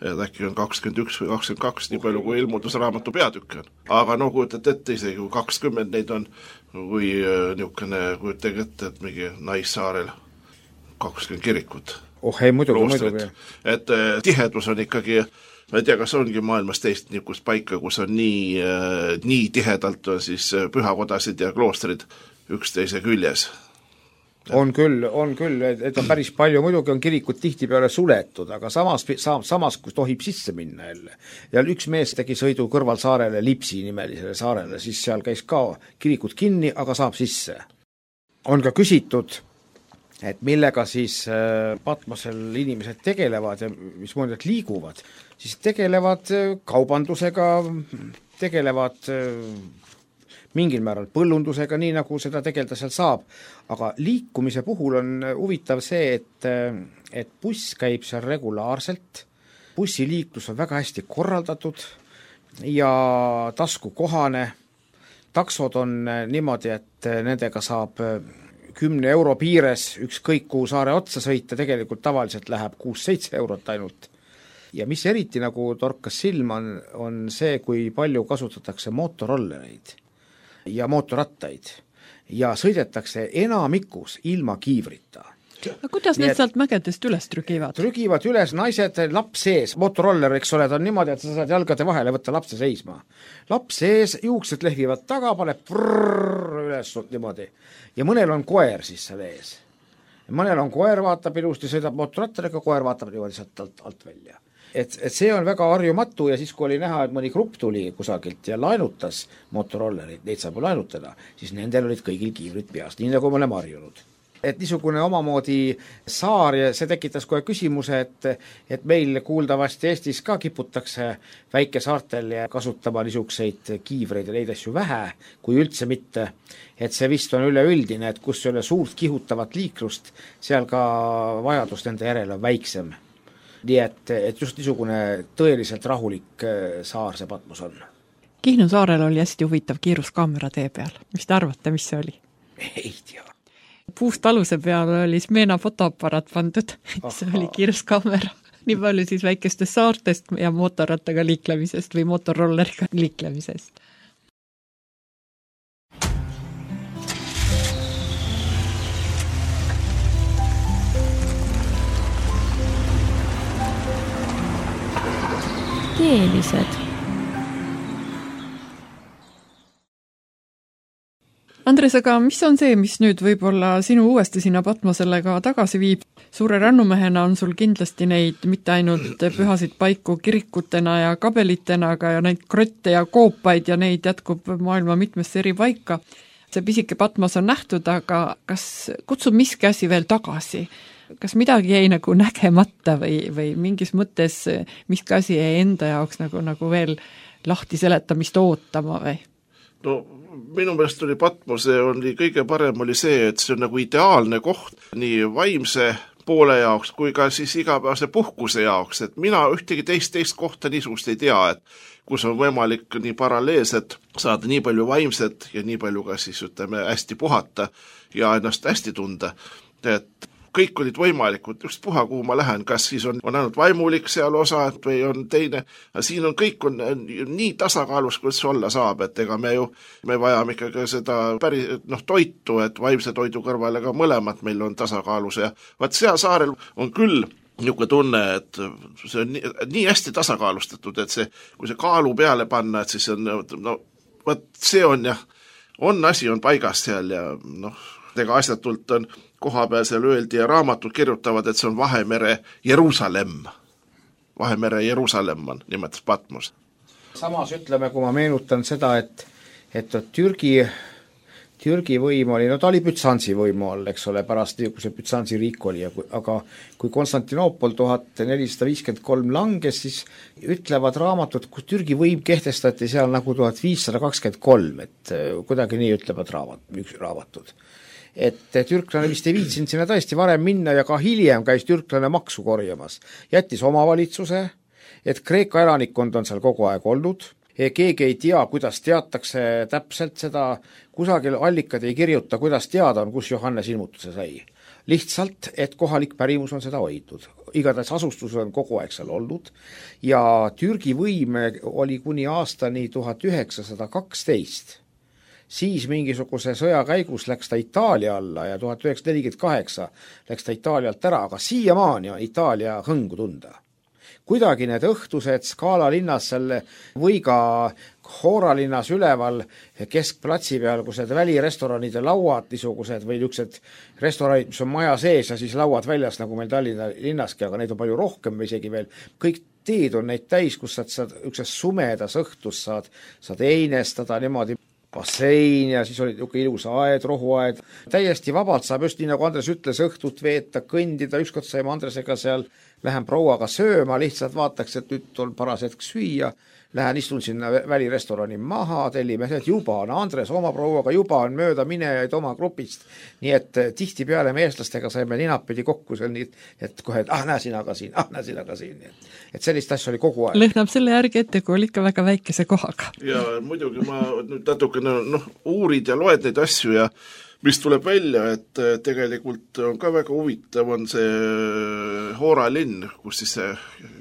E: et äkki on kakskümmend üks või kakskümmend kaks, nii palju kui ilmutusraamatu peatükk on. Aga no kujutat ette isegi, kui kakskümmend neid on, või niisugune, kujutage ette, et mingi Naissaarel kakskümmend kirikut.
D: Oh ei, muidugi, muidugi.
E: Et tihedus on ikkagi, ma ei tea, kas ongi maailmas teist niisugust paika, kus on nii, nii tihedalt on siis pühakodasid ja kloostrid üksteise küljes.
D: On küll, on küll, et on päris palju, muidugi on kirikud tihtipeale suletud, aga samas, samas kus tohib sisse minna jälle. Ja üks mees tegi sõidu kõrvalsaarele, Lipsi nimelisele saarele, siis seal käis ka kirikud kinni, aga saab sisse. On ka küsitud, et millega siis Patmosel inimesed tegelevad ja mis mõned liiguvad, siis tegelevad kaubandusega, tegelevad mingil määral põllundusega, nii nagu seda tegelda seal saab, aga liikumise puhul on huvitav see, et, et buss käib seal regulaarselt, bussiliiklus on väga hästi korraldatud ja taskukohane, taksod on niimoodi, et nendega saab kümne euro piires ükskõik kuhu saare otsa sõita, tegelikult tavaliselt läheb kuus-seitse eurot ainult. Ja mis eriti nagu torkas silma on, on see, kui palju kasutatakse mootorollereid ja mootorrattaid ja sõidetakse enamikus ilma kiivrita.
C: Aga kuidas need sealt mägedest üles trügivad?
D: Trügivad üles naised, laps sees, mootorroller, eks ole, ta on niimoodi, et sa saad jalgade vahele võtta lapse seisma. Laps sees, juuksed lehvivad taga, paneb prrrr üles niimoodi. Ja mõnel on koer siis seal ees. Mõnel on koer, vaatab ilusti, sõidab mootorrattariga, koer vaatab niimoodi sealt alt, alt välja. Et, et see on väga harjumatu ja siis, kui oli näha, et mõni grupp tuli kusagilt ja laenutas mootorollerid, neid saab laenutada, siis nendel olid kõigil kiivrid peas, nii nagu me oleme harjunud. Et niisugune omamoodi saar ja see tekitas kohe küsimuse, et, et meil kuuldavasti Eestis ka kiputakse väikesaartel ja kasutama niisuguseid kiivreid ja neid asju vähe, kui üldse mitte. Et see vist on üleüldine, et kus ei ole suurt kihutavat liiklust, seal ka vajadus nende järele on väiksem. Nii et, et just niisugune tõeliselt rahulik saar see Patmos on.
C: Kihnu saarel oli hästi huvitav kiiruskaamera tee peal. Mis te arvate, mis see oli?
D: Ei tea.
C: Puust aluse peal oli Smeena fotoaparaat pandud, see oli kiiruskaamera. Nii palju siis väikestest saartest ja mootorrattaga liiklemisest või mootorrolleriga liiklemisest.
A: Teelised.
C: Andres, aga mis on see, mis nüüd võib-olla sinu uuesti sinna Patmosele ka tagasi viib? Suure rannumehena on sul kindlasti neid mitte ainult pühasid paiku kirikutena ja kabelitena, aga ja neid krotte ja koopaid ja neid jätkub maailma mitmesse eri paika. See pisike Patmos on nähtud, aga kas kutsub miski asi veel tagasi? Kas midagi jäi nagu nägemata või, või mingis mõttes miski asi jäi enda jaoks nagu, nagu veel lahti seletamist ootama või?
E: No minu meelest oli Patmose oli kõige parem oli see, et see on nagu ideaalne koht nii vaimse poole jaoks kui ka siis igapäevase puhkuse jaoks, et mina ühtegi teist teist kohta niisugust ei tea, et kus on võimalik nii paralleelselt saada nii palju vaimset ja nii palju ka siis ütleme hästi puhata ja ennast hästi tunda, et kõik olid võimalikud, just puha, kuhu ma lähen, kas siis on, on ainult vaimulik seal osa või on teine, aga siin on kõik on nii tasakaalus, kus olla saab, et ega me ju, me vajame ikkagi seda päris, noh, toitu, et vaimse toidu kõrvale ka mõlemad meil on tasakaalus ja vaat seal saarel on küll niisugune tunne, et see on nii, nii hästi tasakaalustatud, et see, kui see kaalu peale panna, et siis on, no, vaat see on jah, on asi on paigas seal ja noh, ega asjatult on koha peal seal öeldi ja raamatud kirjutavad, et see on Vahemere Jeruusalemm. Vahemere Jeruusalemm on nimetas Patmos.
D: Samas ütleme, kui ma meenutan seda, et, et Türgi, Türgi võim oli, no ta oli Bütsansi võimu all, eks ole, pärast kui see Bütsansi riik oli, aga kui Konstantinoopol tuhat nelisada viiskümmend kolm langes, siis ütlevad raamatud, kus Türgi võim kehtestati seal nagu tuhat viissada kakskümmend kolm, et kuidagi nii ütlevad raamat, üks raamatud. Et türklane vist ei viitsinud sinna tõesti varem minna ja ka hiljem käis türklane maksu korjamas. Jättis omavalitsuse, et Kreeka elanikkond on seal kogu aeg olnud. Keegi ei tea, kuidas teatakse täpselt seda, kusagil allikad ei kirjuta, kuidas teada on, kus Johannes ilmutuse sai. Lihtsalt, et kohalik pärimus on seda hoidnud. Igatahes asustus on kogu aeg seal olnud ja Türgi võim oli kuni aastani tuhat üheksasada kaksteist. Siis mingisuguse sõja käigus läks ta Itaalia alla ja tuhat üheksasada nelikümmend kaheksa läks ta Itaalialt ära, aga siiamaani on Itaalia hõngu tunda. Kuidagi need õhtused Skaala linnas selle või ka Hoora linnas üleval keskplatsi peal, kus need välirestoranide lauad niisugused või niisugused restoranid, mis on maja sees ja siis lauad väljas, nagu meil Tallinna linnaski, aga neid on palju rohkem või isegi veel. Kõik teed on neid täis, kus saad, saad üks sumedas õhtus saad, saad einestada niimoodi bassein ja siis oli niisugune ilus aed, rohuaed. Täiesti vabalt saab just nii, nagu Andres ütles, õhtut veeta, kõndida, ükskord saime Andresega seal, lähen prouaga sööma, lihtsalt vaataks, et nüüd on paras hetk süüa, lähen istun sinna välirestorani maha, tellime, et juba on Andres oma prouaga, juba on mööda minejaid oma grupist, nii et tihti peale me eestlastega saime ninapidi kokku seal nii, et kohe, et ah, näe sina ka siin, ah, näe sina ka siin, et sellist asja oli kogu aeg.
C: Lõhnab selle järgi ette, kui oli ikka väga väikese kohaga.
E: Ja muidugi ma nüüd natukene noh, uurid ja loed neid asju ja mis tuleb välja, et tegelikult on ka väga huvitav on see Hoora linn, kus siis see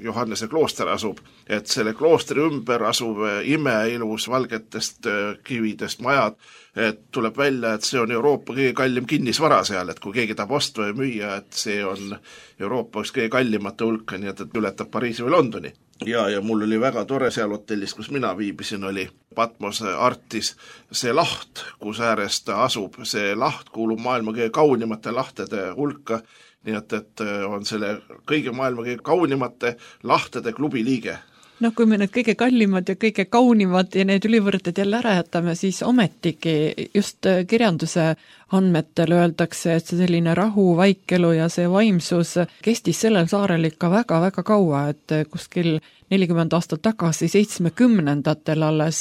E: Johannese klooster asub, et selle kloostri ümber asub imeilus valgetest kividest majad, et tuleb välja, et see on Euroopa kõige kallim kinnisvara seal, et kui keegi tahab osta või müüa, et see on Euroopa üks kõige kallimate hulka, nii et, et ületab Pariisi või Londoni. Ja, ja mul oli väga tore seal hotellis, kus mina viibisin, oli Patmose Artis see laht, kus ääres ta asub. See laht kuulub maailma kõige kaunimate lahtede hulka, nii et, et on selle kõige maailma kõige kaunimate lahtede klubi liige.
C: No kui me need kõige kallimad ja kõige kaunimad ja need ülivõrted jälle ära jätame, siis ometigi just kirjanduse andmetel öeldakse, et see selline rahu, vaikelu ja see vaimsus kestis sellel saarel ikka väga-väga kaua, et kuskil nelikümmend aastat tagasi, seitsmekümnendatel alles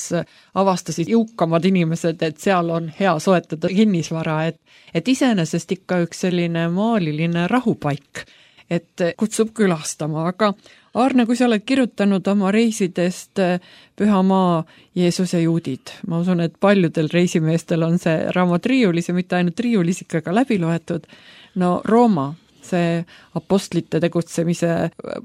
C: avastasid jõukamad inimesed, et seal on hea soetada kinnisvara, et, et iseenesest ikka üks selline maaliline rahupaik, et kutsub külastama, aga Arne, kui sa oled kirjutanud oma reisidest Pühamaa, Jeesus ja juudid, ma usun, et paljudel reisimeestel on see raamat riiulis ja mitte ainult riiulis ikka ka läbi loetud, no Rooma, see apostlite tegutsemise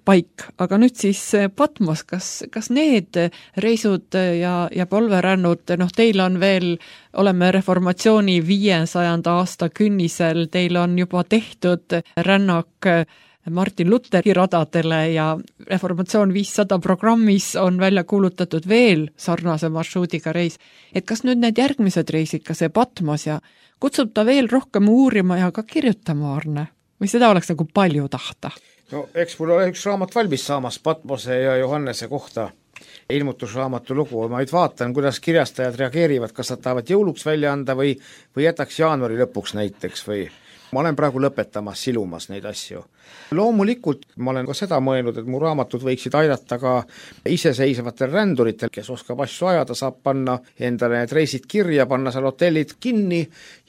C: paik, aga nüüd siis Patmos, kas, kas need reisud ja, ja polverännud, noh teil on veel, oleme reformatsiooni viiesajanda aasta künnisel, teil on juba tehtud rännak Martin Lutheri radadele ja Reformatsioon viissada programmis on välja kuulutatud veel sarnase marsruudiga reis. Et kas nüüd need järgmised reisid, ka see Patmos ja kutsub ta veel rohkem uurima ja ka kirjutama, Arne? Või seda oleks nagu palju tahta?
D: No eks mul ole üks raamat valmis saamas Patmose ja Johannese kohta. Ilmutusraamatu lugu, ma nüüd vaatan, kuidas kirjastajad reageerivad, kas nad tahavad jõuluks välja anda või, või jätaks jaanuari lõpuks näiteks või ma olen praegu lõpetamas, silumas neid asju. Loomulikult ma olen ka seda mõelnud, et mu raamatud võiksid aidata ka iseseisvatel ränduritel, kes oskab asju ajada, saab panna endale need reisid kirja, panna seal hotellid kinni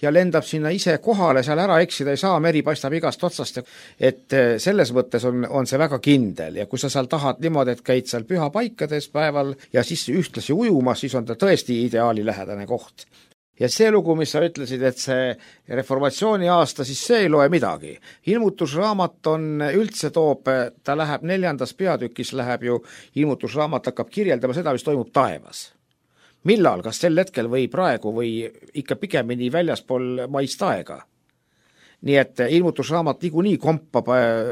D: ja lendab sinna ise kohale, seal ära eksida ei saa, meri paistab igast otsast. Et selles mõttes on, on see väga kindel ja kui sa seal tahad niimoodi, et käid seal pühapaikades päeval ja siis ühtlasi ujumas, siis on ta tõesti ideaali lähedane koht. Ja see lugu, mis sa ütlesid, et see reformatsiooni aasta, siis see ei loe midagi. Ilmutusraamat on üldse toob, ta läheb neljandas peatükis, läheb ju, ilmutusraamat hakkab kirjeldama seda, mis toimub taevas. Millal, kas sel hetkel või praegu või ikka pigemini väljaspool maist aega? Nii et ilmutusraamat niikuinii kompab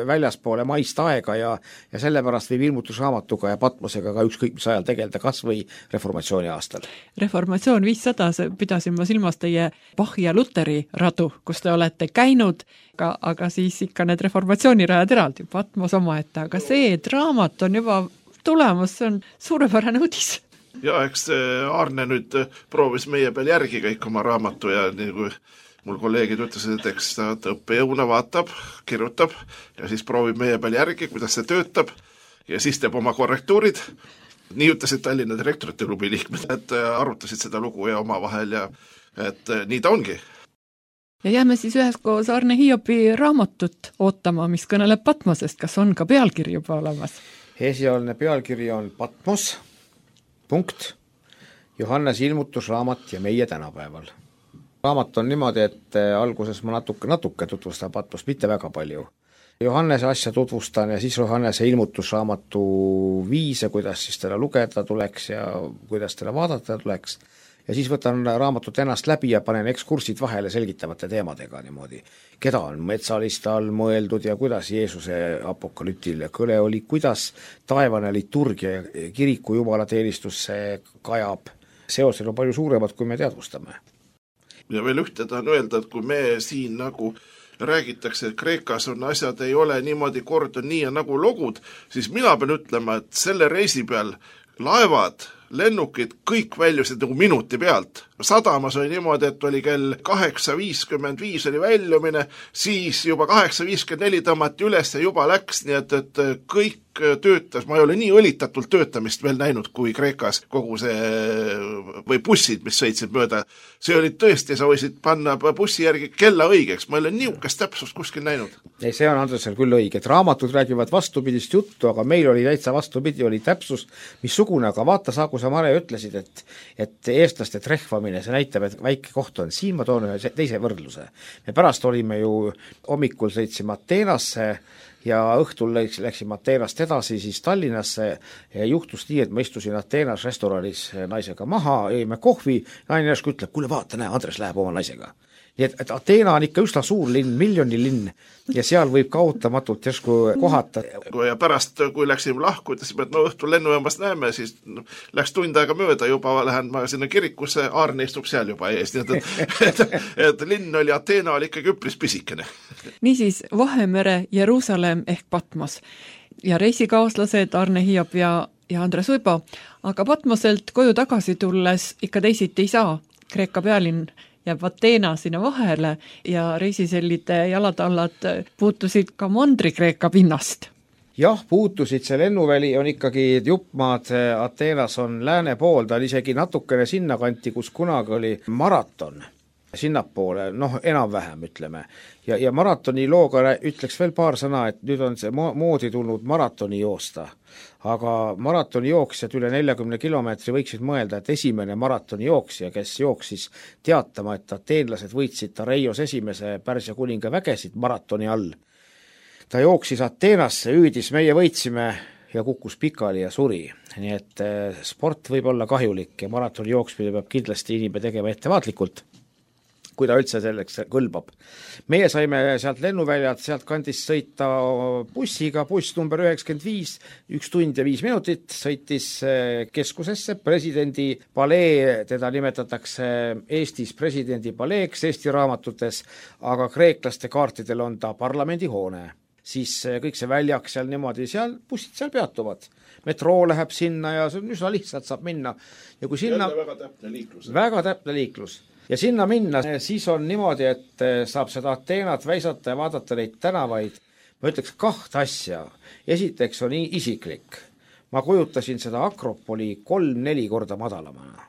D: väljaspoole maist aega ja, ja sellepärast võib ilmutusraamatuga ja Patmosega ka ükskõik mis ajal tegeleda, kas või reformatsiooni aastal.
C: Reformatsioon viissada, pidasin ma silmas teie Bachi ja Lutheri radu, kus te olete käinud, aga, aga siis ikka need reformatsioonirajad eraldi, Patmos omaette, aga see, et raamat on juba tulemas, see on suurepärane uudis.
E: Ja eks Arne nüüd proovis meie peal järgi kõik oma raamatu ja nii kui mul kolleegid ütlesid, et eks ta õppejõuna vaatab, kirjutab ja siis proovib meie peal järgi, kuidas see töötab ja siis teeb oma korrektuurid. Nii ütlesid Tallinna direktorite klubi liikmed, et arutasid seda lugu ja oma vahel ja et nii ta ongi.
C: Ja jääme siis üheskoos Arne Hiopi raamatut ootama, mis kõneleb Patmosest. Kas on ka pealkiri juba olemas?
D: Esialgne pealkiri on Patmos, punkt, Johannes ilmutusraamat ja meie tänapäeval. Raamat on niimoodi, et alguses ma natuke, natuke tutvustan Patmost, mitte väga palju. Johannese asja tutvustan ja siis Johannese ilmutusraamatu viise, kuidas siis teda lugeda tuleks ja kuidas teda vaadata tuleks. Ja siis võtan raamatut ennast läbi ja panen ekskursid vahele selgitavate teemadega niimoodi. Keda on metsaliste all mõeldud ja kuidas Jeesuse apokalüptiline kõle oli, kuidas taevane liturgia ja kiriku jumalateenistusse kajab. Seosed on palju suuremad, kui me teadvustame.
E: Ja veel ühte tahan öelda, et kui me siin nagu räägitakse, et Kreekas on asjad ei ole niimoodi kord on nii ja nagu logud, siis mina pean ütlema, et selle reisi peal laevad, lennukid, kõik väljusid nagu minuti pealt. Sadamas oli niimoodi, et oli kell kaheksa viiskümmend viis oli väljumine, siis juba kaheksa viiskümmend neli tõmmati üles ja juba läks, nii et, et kõik töötas, ma ei ole nii õlitatult töötamist veel näinud kui Kreekas kogu see, või bussid, mis sõitsid mööda. See oli tõesti, sa võisid panna bussi järgi kella õigeks, ma ei ole niukest täpsust kuskil näinud.
D: Ei, see on Andresel küll õige, et raamatud räägivad vastupidist juttu, aga meil oli täitsa vastupidi, oli täpsus, missugune, aga vaata, saa, kui sa Mare ütlesid, et, et eestlaste trehvamine, see näitab, et väike koht on. Siin ma toon ühe teise võrdluse. Me pärast olime ju, hommikul sõitsime Ateenasse ja õhtul läksime Ateenast edasi siis Tallinnasse ja juhtus nii, et ma istusin Ateenas restoranis naisega maha, jõime kohvi, naine järsku ütleb, kuule vaata, näe, Andres läheb oma naisega. Nii et, et Ateena on ikka üsna suur linn, miljoni linn ja seal võib ka ootamatult järsku kohata.
E: Ja pärast, kui läksime lahku, ütlesime, et no õhtul lennujaamast näeme, siis no, läks tund aega mööda, juba lähen ma sinna kirikusse, Aarne istub seal juba ees, nii et, et, et, et linn oli, Ateena oli ikkagi üpris pisikene.
C: Niisiis, Vahemere, Jeruusalemm ehk Patmos ja reisikaaslased Arne Hiop ja, ja Andres Uibo, aga Patmoselt koju tagasi tulles ikka teisiti ei saa. Kreeka pealinn jääb Ateena sinna vahele ja reisisellide jalatallad puutusid ka Mandri-Kreeka pinnast.
D: Jah, puutusid, see lennuväli on ikkagi juppmaad, Ateenas on lääne pool, ta on isegi natukene sinna kanti, kus kunagi oli maraton, sinnapoole, noh enam-vähem ütleme. Ja, ja maratoni looga ütleks veel paar sõna, et nüüd on see moodi tulnud maratoni joosta. Aga maratoni jooksjad üle neljakümne kilomeetri võiksid mõelda, et esimene maratoni jooksja, kes jooksis teatama, et ateenlased võitsid Tareios esimese Pärsia kuninga vägesid maratoni all. Ta jooksis Ateenasse, hüüdis, meie võitsime ja kukkus pikali ja suri. Nii et sport võib olla kahjulik ja maratoni jooksmine peab kindlasti inimene tegema ettevaatlikult. kui ta üldse selleks kõlbab. Meie saime sealt lennuväljalt, sealt kandist sõita bussiga, buss number üheksakümmend viis, üks tund ja viis minutit, sõitis keskusesse, presidendi palee, teda nimetatakse Eestis presidendi paleeks Eesti raamatutes, aga kreeklaste kaartidel on ta parlamendihoone. Siis kõik see väljak seal niimoodi, seal bussid seal peatuvad. Metroo läheb sinna ja see on üsna lihtsalt saab minna. Ja kui sinna...
E: Jälle väga täpne liiklus.
D: Väga täpne liiklus. Ja sinna minna, siis on niimoodi, et saab seda Ateenat väisata ja vaadata neid tänavaid. Ma ütleks kahte asja. Esiteks on isiklik. Ma kujutasin seda Akropoli kolm-neli korda madalamana.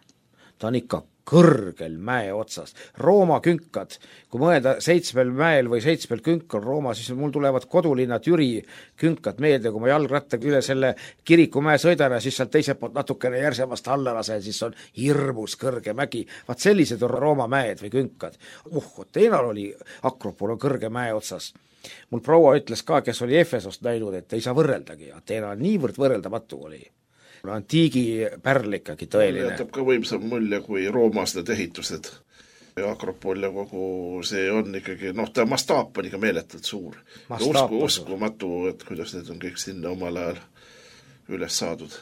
D: Ta on ikka kõrgel mäe otsas. Rooma künkad, kui mõelda seitsmel mäel või seitsmel künkal Rooma, siis mul tulevad kodulinna Türi künkad meelde, kui ma jalgrattaga üle selle kirikumäe sõidan ja siis sealt teiselt poolt natukene järsemast alla lasen, siis on hirmus kõrge mägi. Vaat sellised on Rooma mäed või künkad. Uh, Ateenal oli Akropol on kõrge mäe otsas. Mul proua ütles ka, kes oli Efesost näinud, et ei saa võrreldagi. Ateena niivõrd võrreldamatu oli. Antiigi pärl ikkagi tõeline.
E: Jätab ka võimsam mulje kui roomased ehitused. Akropol ja kogu see on ikkagi, noh, ta mastaap on ikka meeletult suur. Usku, uskumatu, et kuidas need on kõik sinna omal ajal üles saadud.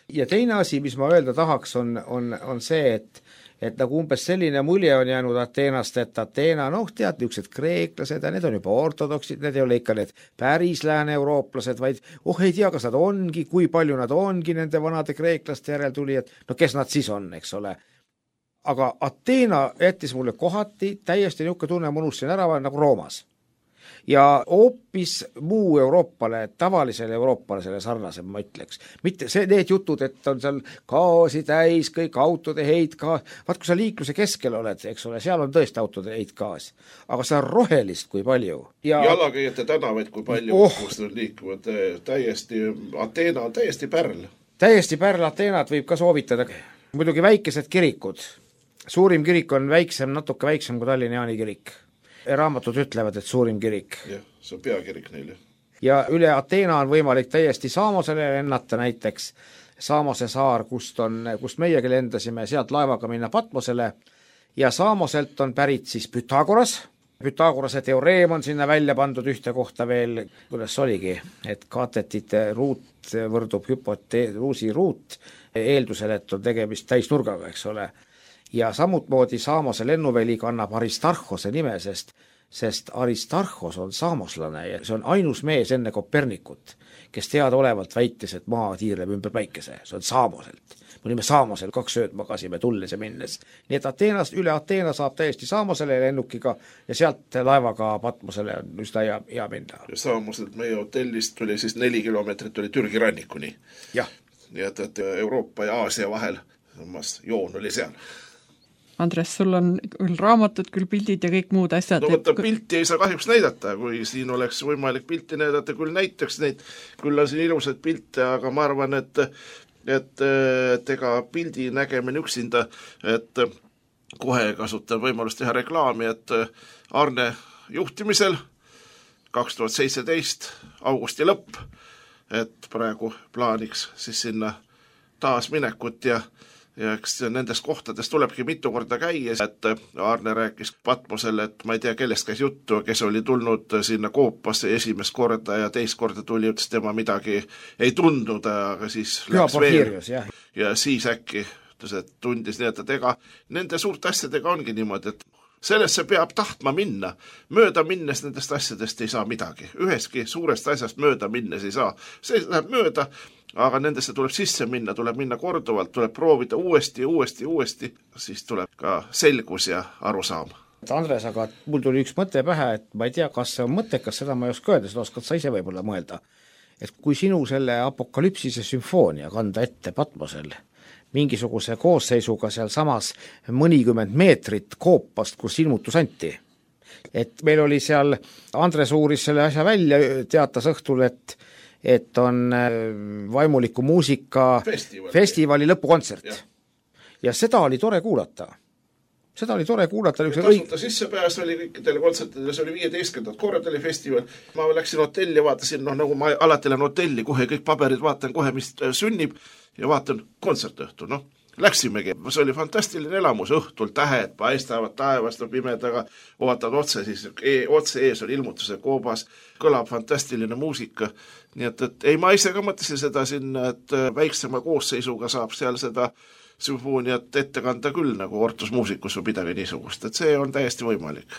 D: Ja teine asi, mis ma öelda tahaks, on, on, on see, et et nagu umbes selline mulje on jäänud Ateenast, et Ateena, noh, tead, niisugused kreeklased ja need on juba ortodoksid, need ei ole ikka need päris lääne-eurooplased, vaid oh, ei tea, kas nad ongi, kui palju nad ongi nende vanade kreeklaste järeltulijad, no kes nad siis on, eks ole. Aga Ateena jättis mulle kohati täiesti niisugune tunne, ma unustasin ära, nagu Roomas. Ja hoopis muu Euroopale, tavalisele Euroopale sarnasem, ma ütleks. Mitte see, need jutud, et on seal gaasi täis, kõik autode heit gaas. Vaat, kui sa liikluse keskel oled, eks ole, seal on tõesti autode heit gaas. Aga see on rohelist kui palju.
E: Ja... Jalakäijate tänavaid kui palju, oh. Kus nad liikuvad. Täiesti, Ateena on täiesti pärl.
D: Täiesti pärl Ateenat võib ka soovitada. Muidugi väikesed kirikud. Suurim kirik on väiksem, natuke väiksem kui Tallinna Jaani kirik. Raamatud ütlevad, et suurim kirik.
E: Jah, see on peakirik neile.
D: Ja üle Ateena on võimalik täiesti Saamosele lennata näiteks. Saamose saar, kust, on, kust meiegi lendasime, sealt laevaga minna Patmosele. Ja Saamoselt on pärit siis Pythagoras. Pythagorase teoreem on sinna välja pandud ühte kohta veel, kuidas oligi, et kaatetite ruut võrdub hüpoteeruusi ruut eeldusel, et on tegemist täisnurgaga, eks ole. Ja samutmoodi Saamose lennuväli kannab Aristarhose nime, sest, sest Aristarhos on saamoslane ja see on ainus mees enne Kopernikut, kes teadaolevalt väitis, et maa tiirleb ümber päikese. See on Saamoselt. Me olime Saamosel, kaks ööd magasime tulles ja minnes. Nii et Ateenast, üle Ateena saab täiesti Saamosele lennukiga ja sealt laevaga Patmosele on üsna hea, hea minna.
E: Ja Saamoselt meie hotellist tuli siis neli kilomeetrit oli Türgi rannikuni.
D: Jah.
E: Nii et, et Euroopa ja Aasia vahel joon oli seal.
C: Andres, sul on küll raamatud, küll pildid ja kõik muud asjad.
E: No võtta pilti ei saa kahjuks näidata, kui siin oleks võimalik pilti näidata, küll näiteks neid, küll on siin ilusad pilte, aga ma arvan, et, et, et ega pildi nägemine üksinda, et kohe kasutan võimalust teha reklaami, et Arne juhtimisel kaks tuhat seitseteist augusti lõpp, et praegu plaaniks siis sinna taas minekut ja ja eks nendest kohtadest tulebki mitu korda käia, et Arne rääkis Patmosele, et ma ei tea, kellest käis juttu, kes oli tulnud sinna Koopasse esimest korda ja teist korda tuli, ütles tema midagi ei tundnud, aga siis läks veel. Ja siis äkki ütles, et tundis nii, et ega nende suurte asjadega ongi niimoodi, et sellesse peab tahtma minna. Mööda minnes nendest asjadest ei saa midagi. Üheski suurest asjast mööda minnes ei saa. See läheb mööda, aga nendesse tuleb sisse minna, tuleb minna korduvalt, tuleb proovida uuesti, uuesti, uuesti, siis tuleb ka selgus ja arusaam.
D: Andres, aga mul tuli üks mõte pähe, et ma ei tea, kas see on mõttekas, seda ma ei oska öelda, seda oskad sa ise võib-olla mõelda. Et kui sinu selle apokalüpsise sümfoonia kanda ette Patmosel, mingisuguse koosseisuga seal samas mõnikümmend meetrit Koopast, kus ilmutus anti. Et meil oli seal, Andres uuris selle asja välja, teatas õhtul, et et on vaimuliku muusika
E: festivali,
D: festivali lõpukontsert. Ja. ja seda oli tore kuulata. Seda oli tore kuulata.
E: Tasuta õig... sissepääs oli kõikidele kontsertidele, see oli viieteistkümnendat korda oli festival. Ma läksin hotelli, vaatasin, noh, nagu ma alati lähen hotelli, kohe kõik paberid vaatan kohe, mis sünnib ja vaatan kontsertõhtu, noh. läksimegi, see oli fantastiline elamus, õhtul tähed paistavad taevast pimedaga, vaatad otse, siis e otse ees on ilmutuse koobas, kõlab fantastiline muusika, nii et, et ei, ma ise ka mõtlesin seda sinna, et väiksema koosseisuga saab seal seda sümfooniat ette kanda küll nagu ortusmuusikus või midagi niisugust, et see on täiesti võimalik.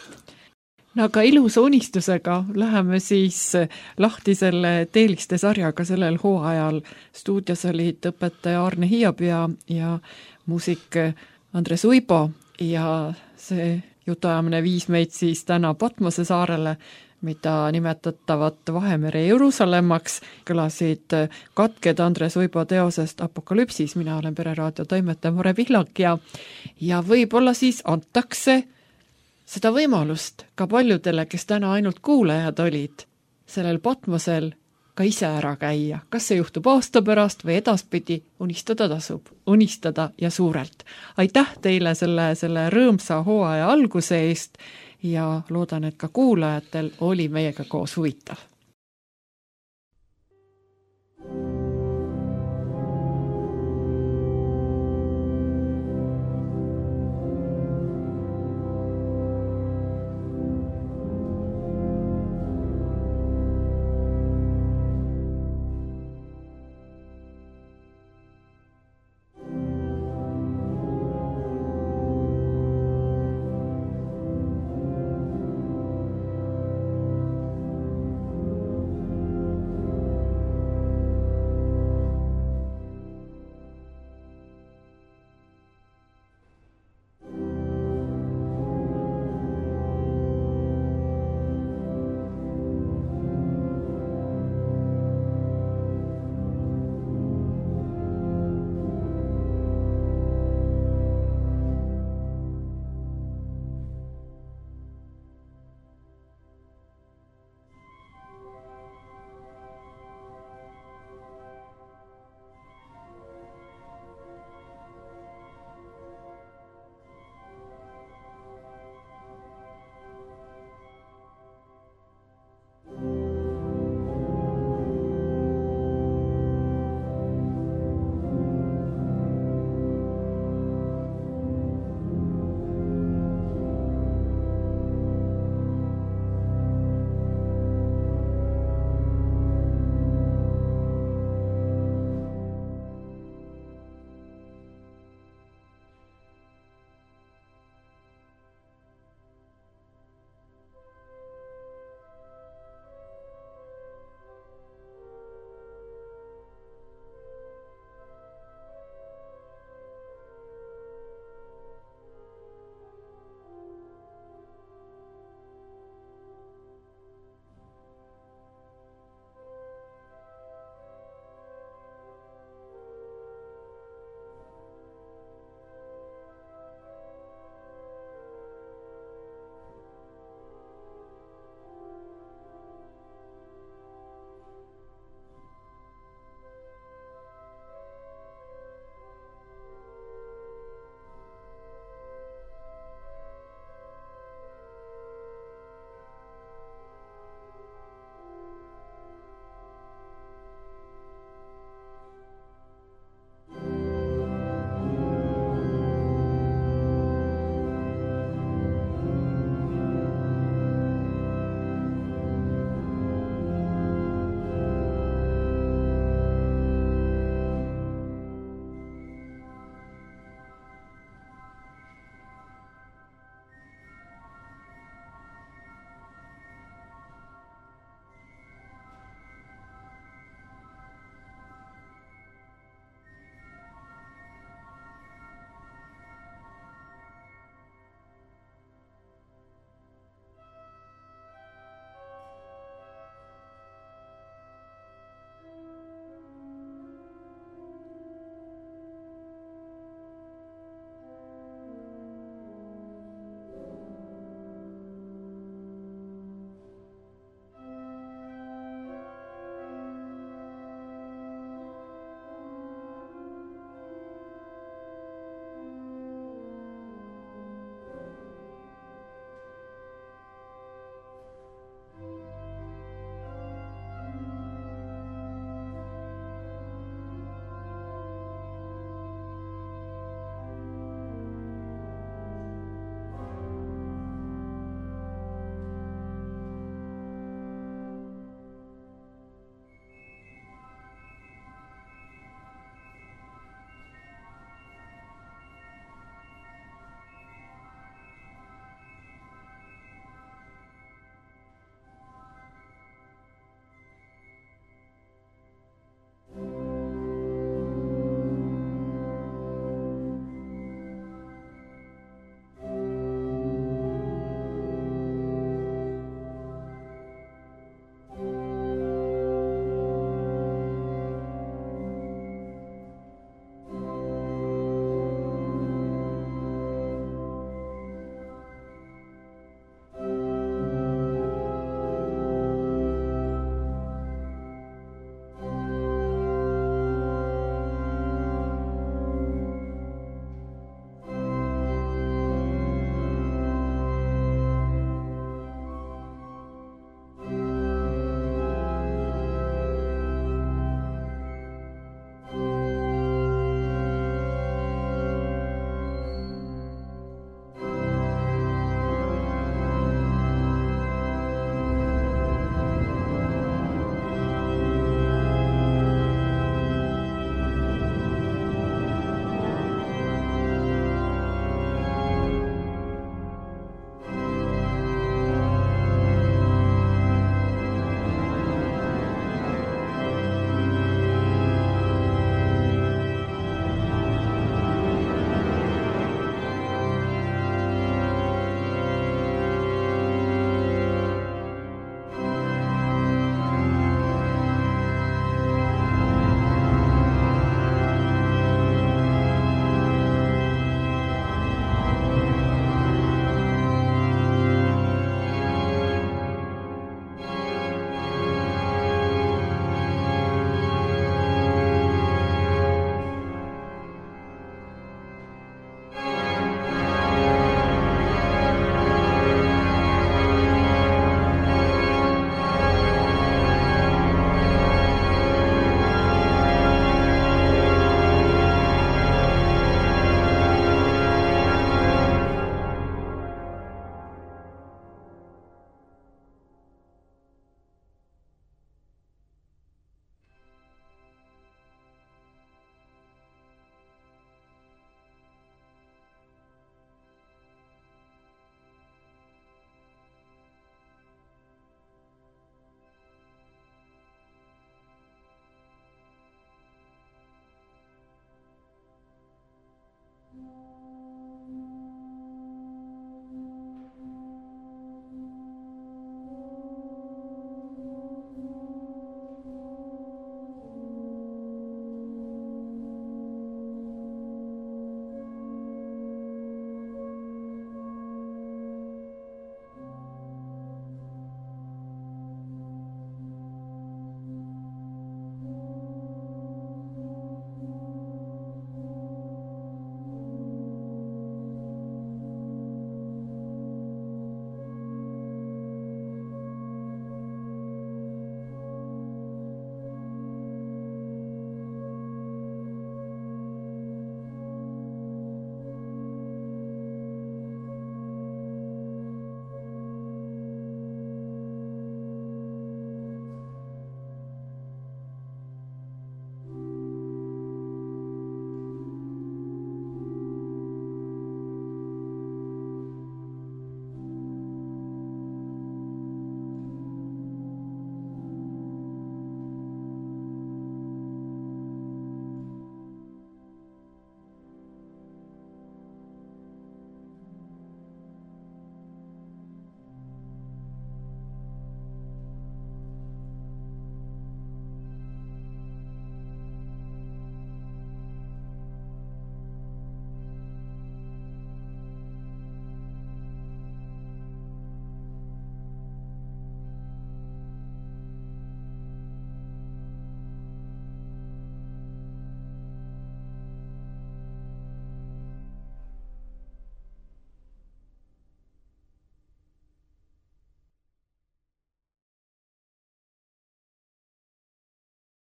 C: No aga ilusa unistusega läheme siis lahti selle Teeliste sarjaga sellel hooajal. Stuudios olid õpetaja Arne Hiiab ja, ja muusik Andres Uibo ja see jutuajamine viis meid siis täna Patmose saarele, mida nimetatavat Vahemere Jeruusalemmaks. Kõlasid katked Andres Uibo teosest Apokalüpsis, mina olen Pereraadio toimetaja Mare Pihlak ja, ja võib-olla siis antakse seda võimalust ka paljudele, kes täna ainult kuulajad olid, sellel Patmosel ka ise ära käia. Kas see juhtub aasta pärast või edaspidi, unistada tasub, unistada ja suurelt. Aitäh teile selle, selle rõõmsa hooaja alguse eest ja loodan, et ka kuulajatel oli meiega koos huvitav.